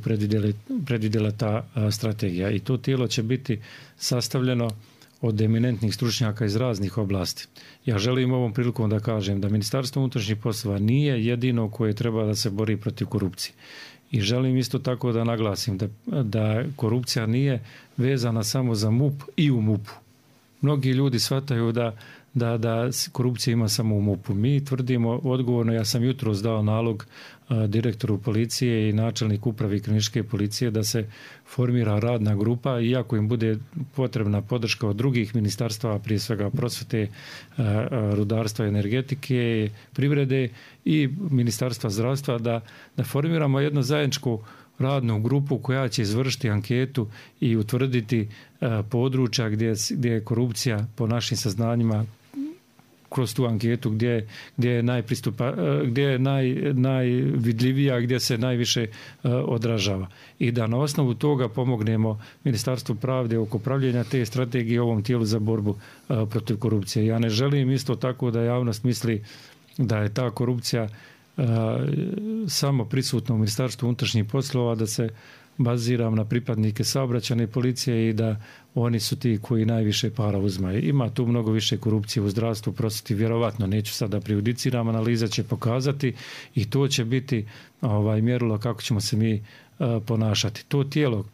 predvidjela ta strategija. I to tijelo će biti sastavljeno od eminentnih stručnjaka iz raznih oblasti. Ja želim ovom prilikom da kažem da Ministarstvo unutrašnjih poslova nije jedino koje treba da se bori protiv korupcije. I želim isto tako da naglasim da, da korupcija nije vezana samo za MUP i u MUP-u. Mnogi ljudi shvataju da, da, da korupcija ima samo u MUP-u. Mi tvrdimo odgovorno, ja sam jutros dao nalog a, direktoru policije i načelniku upravi kriminalističke policije da se formira radna grupa, iako im bude potrebna podrška od drugih ministarstva, prije svega prosvete, a, a, rudarstva i energetike, privrede i ministarstva zdravstva, da, da formiramo jednu zajedničku radnu grupu koja će izvršiti anketu i utvrditi a, područja gdje, gdje je korupcija po našim saznanjima kroz tu anketu gdje, gdje je najpristupa, gdje je naj, najvidljivija, gdje se najviše uh, odražava. I da na osnovu toga pomognemo Ministarstvu pravde oko pravljenja te strategije ovom tijelu za borbu uh, protiv korupcije. Ja ne želim isto tako da javnost misli da je ta korupcija uh, samo prisutna u Ministarstvu unutrašnjih poslova, da se baziram na pripadnike saobraćajne policije i da oni su ti koji najviše para uzmaju. Ima tu mnogo više korupcije u zdravstvu, prosvjeti, vjerovatno, neću sada prejudiciram, analiza će pokazati i to će biti ovaj, mjerilo kako ćemo se mi uh, ponašati. To tijelo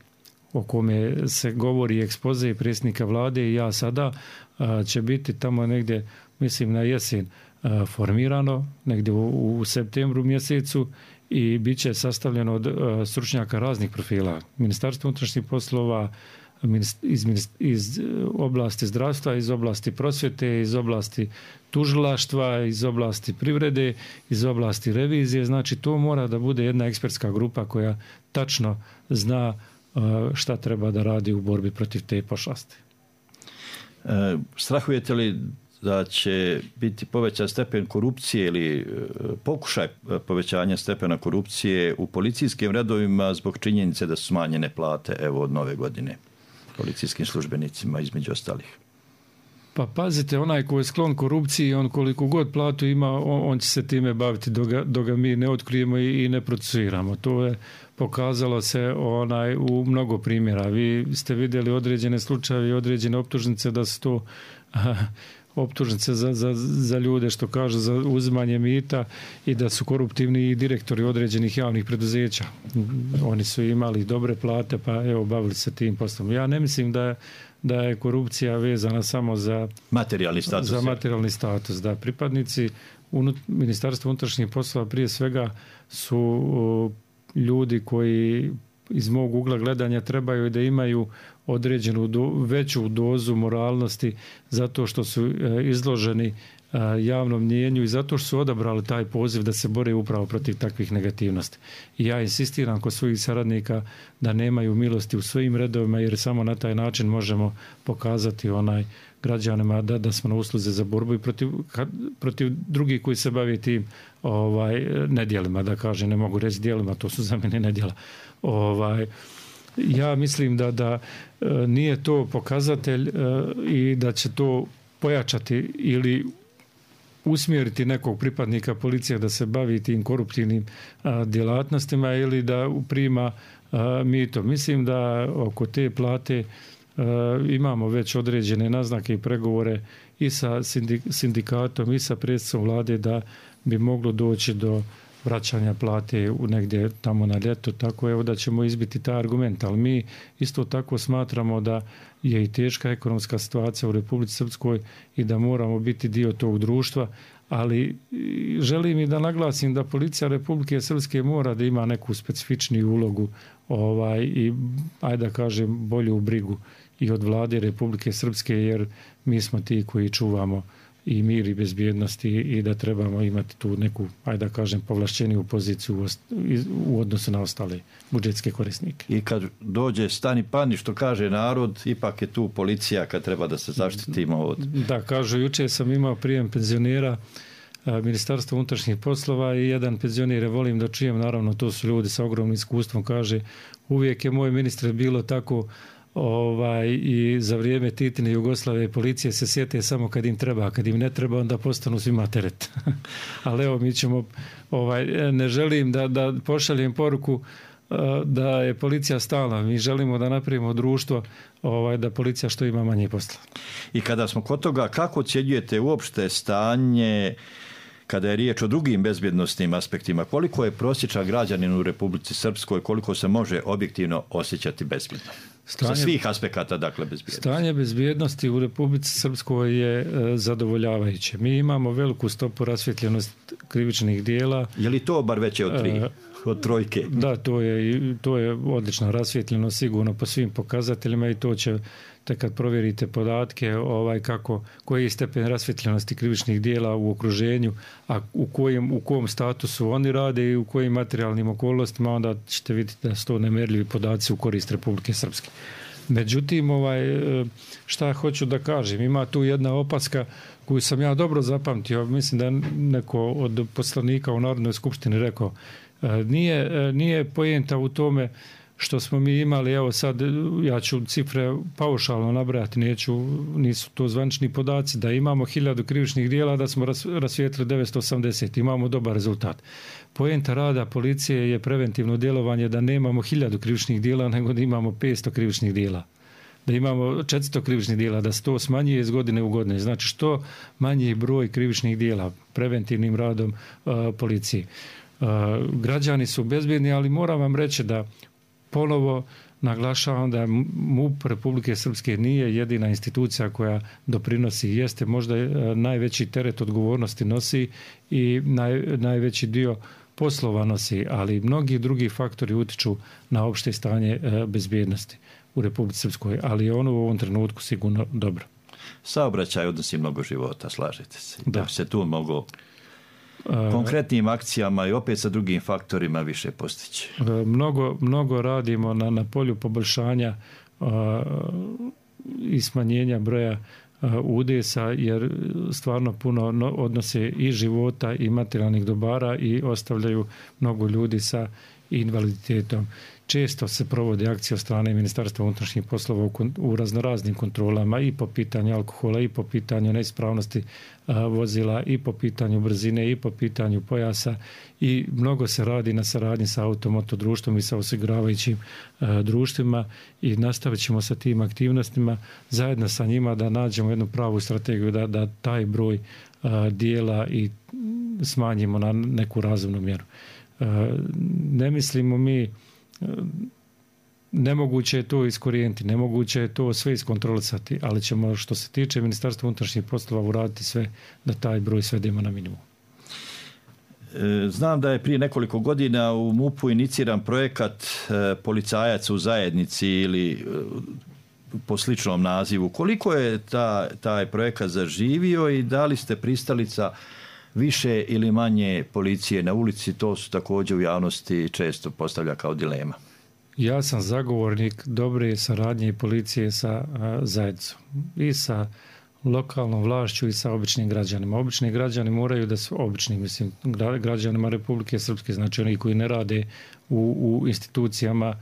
o kome se govori ekspoze i predsjednika vlade i ja sada uh, će biti tamo negdje, mislim na jesen, uh, formirano, negdje u, u septembru mjesecu, i bit će sastavljeno od uh, stručnjaka raznih profila. Ministarstvo unutrašnjih poslova, iz, iz oblasti zdravstva, iz oblasti prosvjete, iz oblasti tužilaštva, iz oblasti privrede, iz oblasti revizije. Znači, to mora da bude jedna ekspertska grupa koja tačno zna uh, šta treba da radi u borbi protiv te pošasti. E, strahujete li da će biti povećan stepen korupcije ili pokušaj povećanja stepena korupcije u policijskim redovima zbog činjenice da su smanjene plate evo od nove godine policijskim službenicima između ostalih? Pa pazite, onaj ko je sklon korupciji, on koliko god platu ima, on, on će se time baviti dok ga, dok ga mi ne otkrijemo i, i ne procesuiramo. To je pokazalo se onaj u mnogo primjera. Vi ste vidjeli određene slučaje i određene optužnice da su to optužnice za, za, za ljude, što kažu, za uzimanje mita i da su koruptivni i direktori određenih javnih preduzeća. Oni su imali dobre plate, pa evo, bavili se tim poslom. Ja ne mislim da je, da je korupcija vezana samo za materijalni status. Za materijalni status, da pripadnici unut, Ministarstva unutrašnjih poslova prije svega su o, ljudi koji iz mog ugla gledanja trebaju da imaju određenu do, veću dozu moralnosti zato što su e, izloženi e, javnom mnijenju i zato što su odabrali taj poziv da se bore upravo protiv takvih negativnosti. I ja insistiram kod svojih saradnika da nemaju milosti u svojim redovima, jer samo na taj način možemo pokazati onaj građanima da, da smo na usluzi za borbu i protiv, protiv drugih koji se bave tim ovaj, nedjelima, da kažem, ne mogu reći djelima, to su za mene nedjela. Ovaj, ja mislim da, da e, nije to pokazatelj e, i da će to pojačati ili usmjeriti nekog pripadnika policije da se bavi tim koruptivnim a, djelatnostima ili da prima a, mito. Mislim da oko te plate a, imamo već određene naznake i pregovore i sa sindikatom i sa predsjednicom vlade da bi moglo doći do vraćanja plate u negdje tamo na ljeto, tako evo da ćemo izbiti taj argument, ali mi isto tako smatramo da je i teška ekonomska situacija u Republici Srpskoj i da moramo biti dio tog društva, ali želim i da naglasim da policija Republike Srpske mora da ima neku specifičniju ulogu ovaj, i, ajde da kažem, bolju brigu i od vlade Republike Srpske, jer mi smo ti koji čuvamo i mir i bezbjednosti i da trebamo imati tu neku, ajde da kažem, povlašćeniju poziciju u odnosu na ostale budžetske korisnike. I kad dođe stani pani, što kaže narod, ipak je tu policija kad treba da se zaštitimo od... Da, kažu, juče sam imao prijem penzionera Ministarstva unutrašnjih poslova i jedan penzioner, volim da čujem, naravno to su ljudi sa ogromnim iskustvom, kaže, uvijek je moj ministre bilo tako ovaj, i za vrijeme Titine Jugoslavije policije se sjete samo kad im treba, a kad im ne treba onda postanu svima teret. Ali evo, mi ćemo, ovaj, ne želim da, da pošaljem poruku da je policija stalna. Mi želimo da napravimo društvo ovaj, da policija što ima manje posla. I kada smo kod toga, kako ocjenjujete uopšte stanje kada je riječ o drugim bezbjednostnim aspektima? Koliko je prosječan građanin u Republici Srpskoj, koliko se može objektivno osjećati bezbjedno? Stanje, sa svih aspekata, dakle, bezbjednosti. Stanje bezbjednosti u Republici Srpskoj je e, zadovoljavajuće. Mi imamo veliku stopu rasvjetljenost krivičnih dijela. Je li to bar veće od tri? E, od trojke? Da, to je, to je odlično rasvjetljeno sigurno po svim pokazateljima i to će, te kad provjerite podatke, ovaj, kako, koji je stepen rasvjetljenosti krivičnih dijela u okruženju, a u kojem, u kom statusu oni rade i u kojim materijalnim okolnostima, onda ćete vidjeti da su to nemjerljivi podaci u korist Republike Srpske. Međutim, ovaj, šta hoću da kažem, ima tu jedna opaska koju sam ja dobro zapamtio, mislim da je neko od poslanika u Narodnoj skupštini rekao, nije, nije poenta u tome što smo mi imali, evo sad ja ću cifre paušalno nabrajati, neću, nisu to zvanični podaci, da imamo hiljadu krivičnih dijela, da smo rasvijetlili devetsto osamdeset, imamo dobar rezultat. Poenta rada policije je preventivno djelovanje, da nemamo hiljadu krivičnih dijela, nego da imamo petsto krivičnih dijela. Da imamo četiristo krivičnih dijela, da se to smanjuje iz godine u godine. Znači što manji broj krivičnih dijela preventivnim radom uh, policije. Uh, građani su bezbjedni, ali moram vam reći da ponovo naglašavam da MUP Republike Srpske nije jedina institucija koja doprinosi, jeste možda najveći teret odgovornosti nosi i naj, najveći dio poslova nosi, ali mnogi drugi faktori utiču na opšte stanje bezbjednosti u Republici Srpskoj, ali je ono u ovom trenutku sigurno dobro. Saobraćaj odnosi mnogo života, slažete se? Da, da se tu mogu konkretnim akcijama i opet sa drugim faktorima više postići. Mnogo, mnogo radimo na, na polju poboljšanja uh, i smanjenja broja uh, udesa, jer stvarno puno no, odnose i života i materijalnih dobara i ostavljaju mnogo ljudi sa invaliditetom. Često se provode akcije od strane Ministarstva unutrašnjih poslova u, u raznoraznim kontrolama i po pitanju alkohola i po pitanju neispravnosti a, vozila i po pitanju brzine i po pitanju pojasa i mnogo se radi na saradnji sa automoto društvom i sa osiguravajućim a, društvima i nastavit ćemo sa tim aktivnostima zajedno sa njima da nađemo jednu pravu strategiju da, da taj broj a, dijela i smanjimo na neku razumnu mjeru. A, ne mislimo mi nemoguće je to iskorijeniti, nemoguće je to sve iskontrolisati, ali ćemo što se tiče Ministarstva unutrašnjih poslova uraditi sve da taj broj svedemo na minimum. Znam da je prije nekoliko godina u MUP-u iniciran projekat Policajac u zajednici ili po sličnom nazivu. Koliko je ta, taj projekat zaživio i da li ste pristalica više ili manje policije na ulici? To su također u javnosti često postavlja kao dilema. Ja sam zagovornik dobre saradnje policije sa zajednicom i sa lokalnom vlašću i sa običnim građanima. Obični građani moraju da su obični, mislim, građanima Republike Srpske, znači oni koji ne rade u, u institucijama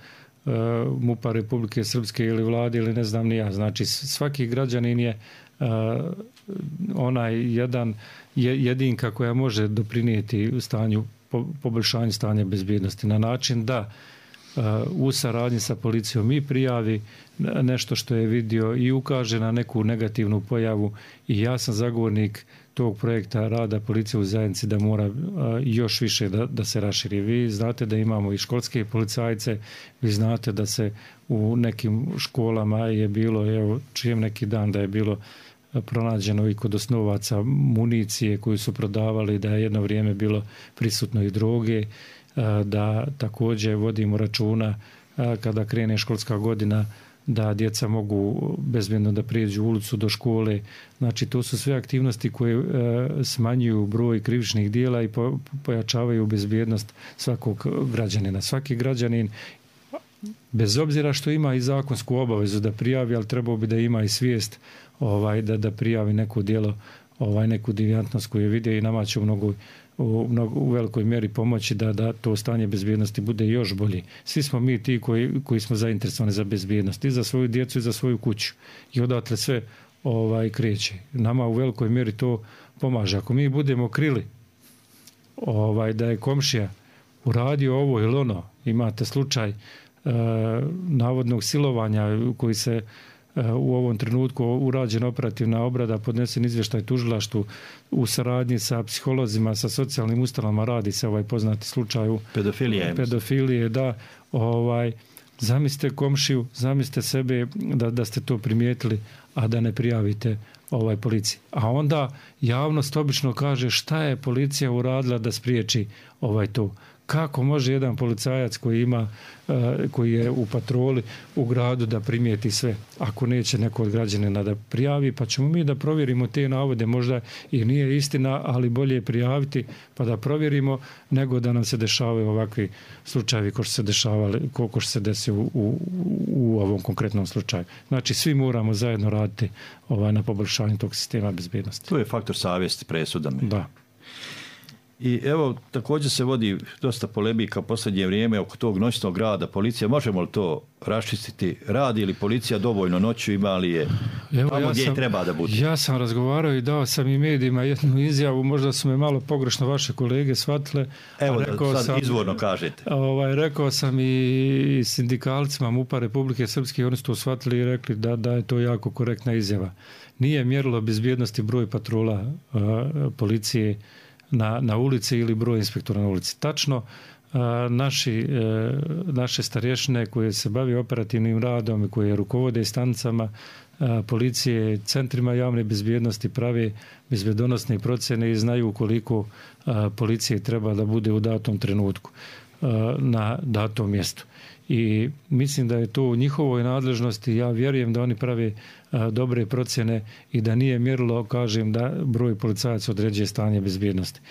uh, MUP-a Republike Srpske ili vlade ili ne znam ni ja. Znači svaki građanin je uh, onaj jedan jedinka koja može doprinijeti u stanju, po, poboljšanju stanja bezbjednosti na način da uh, u saradnji sa policijom i prijavi nešto što je vidio i ukaže na neku negativnu pojavu i ja sam zagovornik tog projekta rada policije u zajednici da mora uh, još više da, da se raširi. Vi znate da imamo i školske policajce, vi znate da se u nekim školama je bilo, evo čujem neki dan da je bilo pronađeno i kod osnovaca municije koju su prodavali, da je jedno vrijeme bilo prisutno i droge, da također vodimo računa kada krene školska godina da djeca mogu bezbjedno da prijeđu ulicu do škole. Znači to su sve aktivnosti koje smanjuju broj krivičnih dijela i pojačavaju bezbjednost svakog građanina. Svaki građanin bez obzira što ima i zakonsku obavezu da prijavi, ali trebao bi da ima i svijest ovaj da da prijavi neko djelo, ovaj neku devijantnost koju je vidio i nama će u mnogo u, mnogo, u velikoj mjeri pomoći da da to stanje bezbjednosti bude još bolje. Svi smo mi ti koji koji smo zainteresovani za bezbjednost i za svoju djecu i za svoju kuću. I odatle sve ovaj kreće. Nama u velikoj mjeri to pomaže. Ako mi budemo krili ovaj da je komšija uradio ovo ili ono, imate slučaj e, navodnog silovanja koji se u ovom trenutku urađena operativna obrada, podnesen izvještaj tužilaštvu u saradnji sa psiholozima, sa socijalnim ustanovama, radi se ovaj poznati slučaj pedofilije. Pedofilije, da, ovaj Zamislite komšiju, zamislite sebe da, da ste to primijetili, a da ne prijavite ovaj policiji. A onda javnost obično kaže šta je policija uradila da spriječi ovaj to. Kako može jedan policajac koji ima, koji je u patroli u gradu da primijeti sve, ako neće neko od građanina da prijavi, pa ćemo mi da provjerimo te navode, možda i nije istina, ali bolje je prijaviti pa da provjerimo nego da nam se dešavaju ovakvi slučajevi ko što se dešavali, koliko što se desi u, u, u ovom konkretnom slučaju. Znači svi moramo zajedno raditi ovaj, na poboljšanju tog sistema bezbednosti. To je faktor savjesti presudan. Da. I evo, također se vodi dosta polemika u posljednje vrijeme oko tog noćnog rada policije. Možemo li to raščistiti? Radi li policija dovoljno noću, ima li je evo, tamo ja gdje sam, treba da bude? Ja sam razgovarao i dao sam i medijima jednu izjavu, možda su me malo pogrešno vaše kolege shvatile. Evo rekao da sad sam, izvorno kažete. Ovaj, rekao sam i sindikalcima MUP-a Republike Srpske, oni su to shvatili i rekli da, da je to jako korektna izjava. Nije mjerilo bezbjednosti broj patrola uh, policije Na, na ulici ili broj inspektora na ulici. Tačno, a, naši, e, naše starješine koje se bave operativnim radom i koje rukovode stanicama a, policije, centrima javne bezbjednosti prave bezbjedonosne procjene i znaju koliko a, policije treba da bude u datom trenutku a, na datom mjestu. I mislim da je to u njihovoj nadležnosti. Ja vjerujem da oni prave a, dobre procjene i da nije mjerilo, kažem, da broj policajaca određuje stanje bezbjednosti.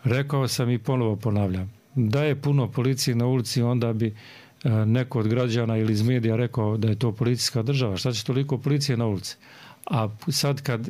Rekao sam i ponovo ponavljam, da je puno policije na ulici, onda bi a, neko od građana ili iz medija rekao da je to policijska država. Šta će toliko policije na ulici? A sad kad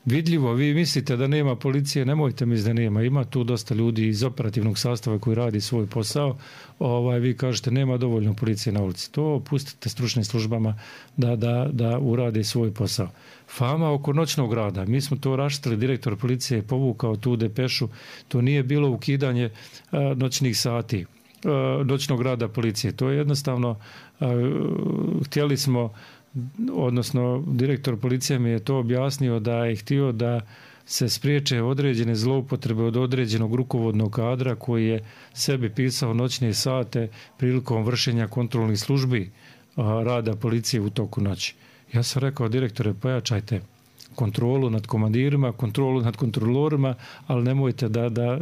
vidljivo vi mislite da nema policije, nemojte misliti da nema. Ima tu dosta ljudi iz operativnog sastava koji radi svoj posao. Ovaj, vi kažete nema dovoljno policije na ulici. To pustite stručnim službama da, da, da urade svoj posao. Fama oko noćnog rada. Mi smo to raštili, direktor policije je povukao tu depešu. To nije bilo ukidanje a, noćnih sati, a, noćnog rada policije. To je jednostavno, a, htjeli smo, odnosno direktor policije mi je to objasnio da je htio da se spriječe određene zloupotrebe od određenog rukovodnog kadra koji je sebi pisao noćne sate prilikom vršenja kontrolnih službi a, rada policije u toku noći. Ja sam rekao, direktore, pojačajte kontrolu nad komandirima, kontrolu nad kontrolorima, ali nemojte da, da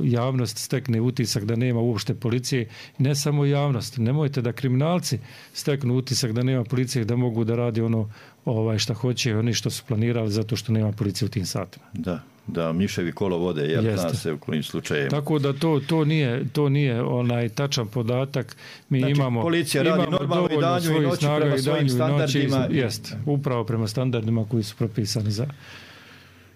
javnost stekne utisak da nema uopšte policije. Ne samo javnost, nemojte da kriminalci steknu utisak da nema policije, da mogu da radi ono ovaj, šta hoće, oni što su planirali zato što nema policije u tim satima. Da, da miševi kolo vode, jer zna se u kojim slučajima. Tako da to, to nije, to nije onaj tačan podatak. Mi znači, imamo, policija radi imamo normalno i danju i noću prema svojim standardima. Jest, upravo prema standardima koji su propisani za...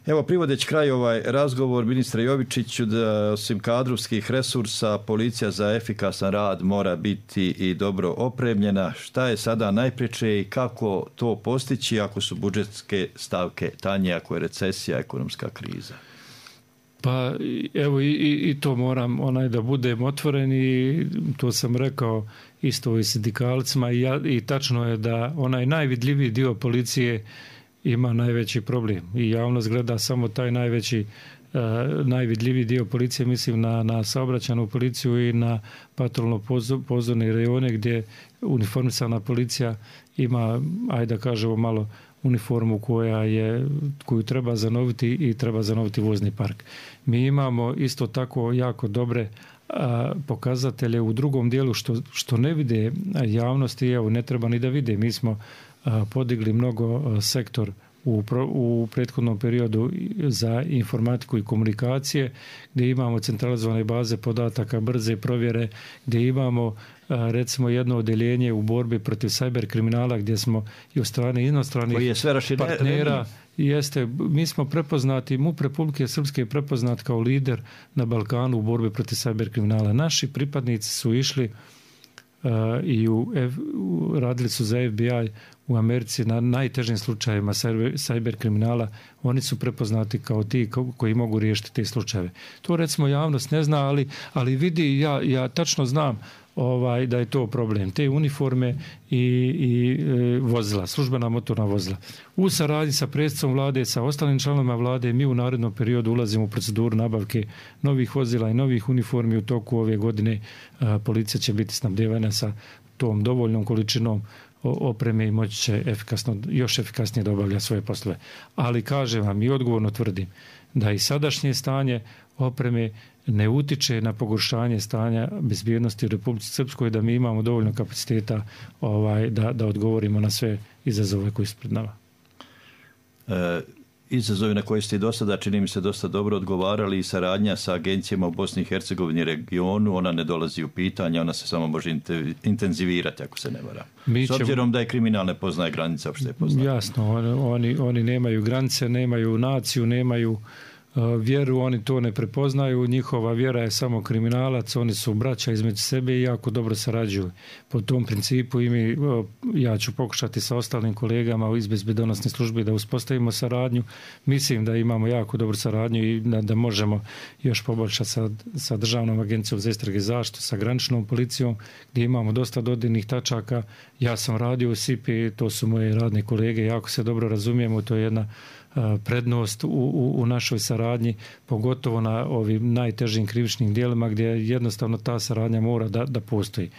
Evo, privodeći kraj ovaj razgovor, ministre Jovičiću, da osim kadrovskih resursa, policija za efikasan rad mora biti i dobro opremljena. Šta je sada najpreče i kako to postići ako su budžetske stavke tanje, ako je recesija, ekonomska kriza? Pa evo i, i, i to moram onaj da budem otvoren i to sam rekao isto i sindikalcima i, ja, i tačno je da onaj najvidljiviji dio policije ima najveći problem i javnost gleda samo taj najveći, uh, najvidljiviji dio policije, mislim na, na saobraćajnu policiju i na patrolno pozorne rejone gdje uniformisana policija ima, ajde da kažemo malo, uniformu koja je, koju treba zanoviti i treba zanoviti vozni park. Mi imamo isto tako jako dobre a, pokazatelje u drugom dijelu što, što ne vide javnosti, evo ne treba ni da vide. Mi smo a, podigli mnogo a, sektor u, pro, u prethodnom periodu za informatiku i komunikacije, gdje imamo centralizovane baze podataka, brze provjere, gdje imamo recimo jedno odeljenje u borbi protiv cyber kriminala gdje smo i od strane inostranih partnera jeste, mi smo prepoznati, MUP Republike Srpske je prepoznat kao lider na Balkanu u borbi protiv cyber kriminala. Naši pripadnici su išli uh, i u, F, u, radili su za F B I u Americi na najtežim slučajevima cyber, cyber kriminala. Oni su prepoznati kao ti koji mogu riješiti te slučajeve. To recimo javnost ne zna, ali, ali vidi, ja, ja tačno znam ovaj, da je to problem. Te uniforme i, i e, vozila, službena motorna vozila. U saradnji sa predsjednicom vlade, sa ostalim članovima vlade, mi u narednom periodu ulazimo u proceduru nabavke novih vozila i novih uniformi. U toku ove godine a, policija će biti snabdevana sa tom dovoljnom količinom opreme i moći će efikasno, još efikasnije da obavlja svoje poslove. Ali kažem vam i odgovorno tvrdim da i sadašnje stanje opreme ne utiče na pogoršanje stanja bezbjednosti u Republici Srpskoj, da mi imamo dovoljno kapaciteta ovaj, da, da odgovorimo na sve izazove koji su pred nama. E, izazovi na koje ste i do sada, čini mi se, dosta dobro odgovarali i saradnja sa agencijama u Bosni i Hercegovini regionu, ona ne dolazi u pitanje, ona se samo može intenzivirati ako se ne vara. Mi S obzirom ćemo... da je kriminal ne poznaje granice, uopšte poznaje. Jasno, oni, oni nemaju granice, nemaju naciju, nemaju vjeru, oni to ne prepoznaju, njihova vjera je samo kriminalac, oni su braća između sebe i jako dobro sarađuju. Po tom principu i mi, ja ću pokušati sa ostalim kolegama iz bezbjednosne službe da uspostavimo saradnju. Mislim da imamo jako dobru saradnju i da, da možemo još poboljšati sa, sa Državnom agencijom za istrage i zaštitu, sa graničnom policijom, gdje imamo dosta dodirnih tačaka. Ja sam radio u S I P I, to su moje radne kolege, jako se dobro razumijemo, to je jedna prednost u, u, u našoj saradnji, pogotovo na ovim najtežim krivičnim djelima gdje jednostavno ta saradnja mora da, da postoji.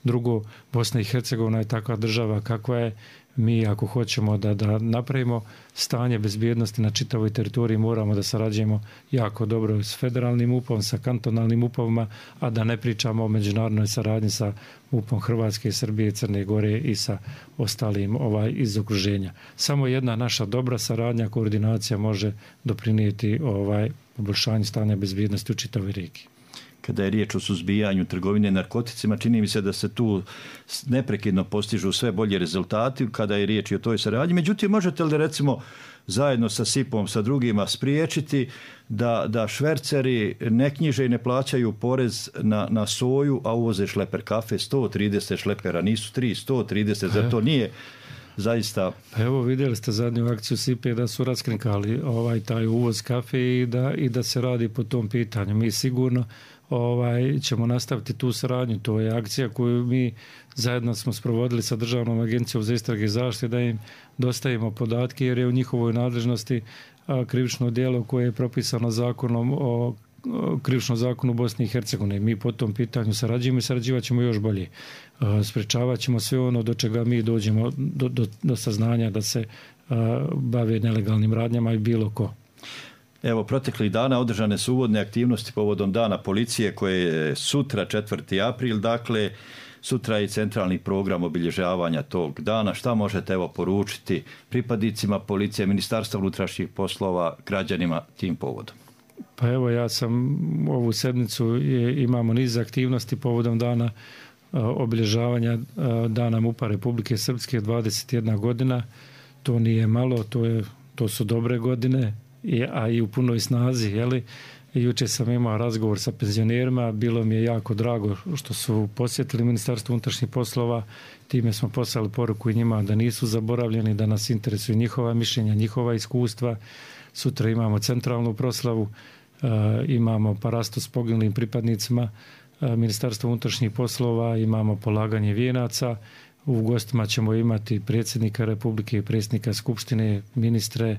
Drugo, Bosna i Hercegovina je takva država kakva je. Mi ako hoćemo da, da napravimo stanje bezbjednosti na čitavoj teritoriji, moramo da sarađujemo jako dobro s federalnim U P om, sa kantonalnim U P ovima, a da ne pričamo o međunarodnoj saradnji sa U P om Hrvatske, Srbije, Crne Gore i sa ostalim ovaj, iz okruženja. Samo jedna naša dobra saradnja, koordinacija može doprinijeti ovaj, poboljšanju stanja bezbjednosti u čitavoj regiji. Kada je riječ o suzbijanju trgovine narkoticima, čini mi se da se tu neprekidno postižu sve bolji rezultati kada je riječ i o toj saradnji. Međutim, možete li recimo zajedno sa S I P om, sa drugima spriječiti da, da šverceri ne knjiže i ne plaćaju porez na, na soju, a uvoze šleper kafe, sto trideset šlepera, nisu tri, sto trideset, zar to nije zaista... Pa evo, vidjeli ste zadnju akciju S I P da su raskrinkali ovaj, taj uvoz kafe i da, i da se radi po tom pitanju. Mi sigurno ovaj, ćemo nastaviti tu saradnju. To je akcija koju mi zajedno smo sprovodili sa Državnom agencijom za istrage i zaštitu, da im dostavimo podatke jer je u njihovoj nadležnosti a, krivično djelo koje je propisano zakonom o krivičnom zakonu Bosne i Hercegovine. Mi po tom pitanju sarađujemo i sarađivat ćemo još bolje. Sprečavat ćemo sve ono do čega mi dođemo do, do, do saznanja da se a, bave nelegalnim radnjama i bilo ko. Evo, proteklih dana održane su uvodne aktivnosti povodom Dana policije koje je sutra, četvrti april, dakle sutra je centralni program obilježavanja tog dana. Šta možete evo poručiti pripadnicima policije, Ministarstva unutrašnjih poslova, građanima tim povodom? Pa evo, ja sam ovu sedmicu je, imamo niz aktivnosti povodom dana a, obilježavanja a, Dana MUP-a Republike Srpske, dvadeset jedna godina. To nije malo, to, je, to su dobre godine, I, a i u punoj snazi, jeli? Jučer sam imao razgovor sa penzionerima, bilo mi je jako drago što su posjetili Ministarstvo unutrašnjih poslova, time smo poslali poruku i njima da nisu zaboravljeni, da nas interesuju njihova mišljenja, njihova iskustva. Sutra imamo centralnu proslavu, uh, imamo parastu s poginulim pripadnicima uh, Ministarstva unutrašnjih poslova, imamo polaganje vijenaca, u gostima ćemo imati predsjednika Republike, predsjednika Skupštine, ministre,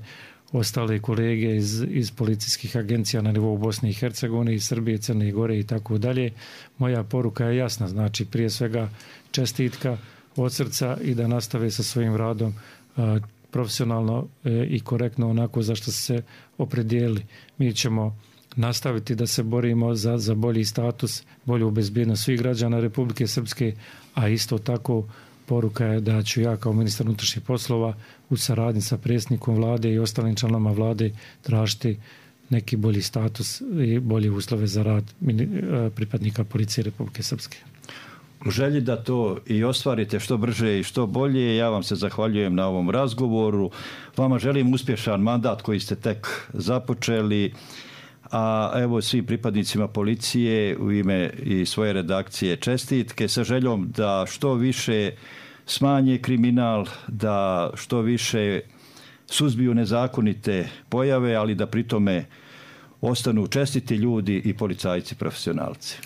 ostale kolege iz, iz policijskih agencija na nivou Bosne i Hercegovine, i Srbije, Crne Gore i tako dalje. Moja poruka je jasna, znači prije svega čestitka od srca i da nastave sa svojim radom a, profesionalno e, i korektno onako za što se opredijelili. Mi ćemo nastaviti da se borimo za, za bolji status, bolju bezbjednost svih građana Republike Srpske, a isto tako poruka je da ću ja kao ministar unutrašnjih poslova u saradnji sa predsjednikom vlade i ostalim članovima vlade tražiti neki bolji status i bolje uslove za rad pripadnika policije Republike Srpske. U želji da to i ostvarite što brže i što bolje, ja vam se zahvaljujem na ovom razgovoru. Vama želim uspješan mandat koji ste tek započeli, a evo svim pripadnicima policije u ime i svoje redakcije čestitke sa željom da što više smanje kriminal, da što više suzbiju nezakonite pojave, ali da pritome ostanu čestiti ljudi i policajci profesionalci.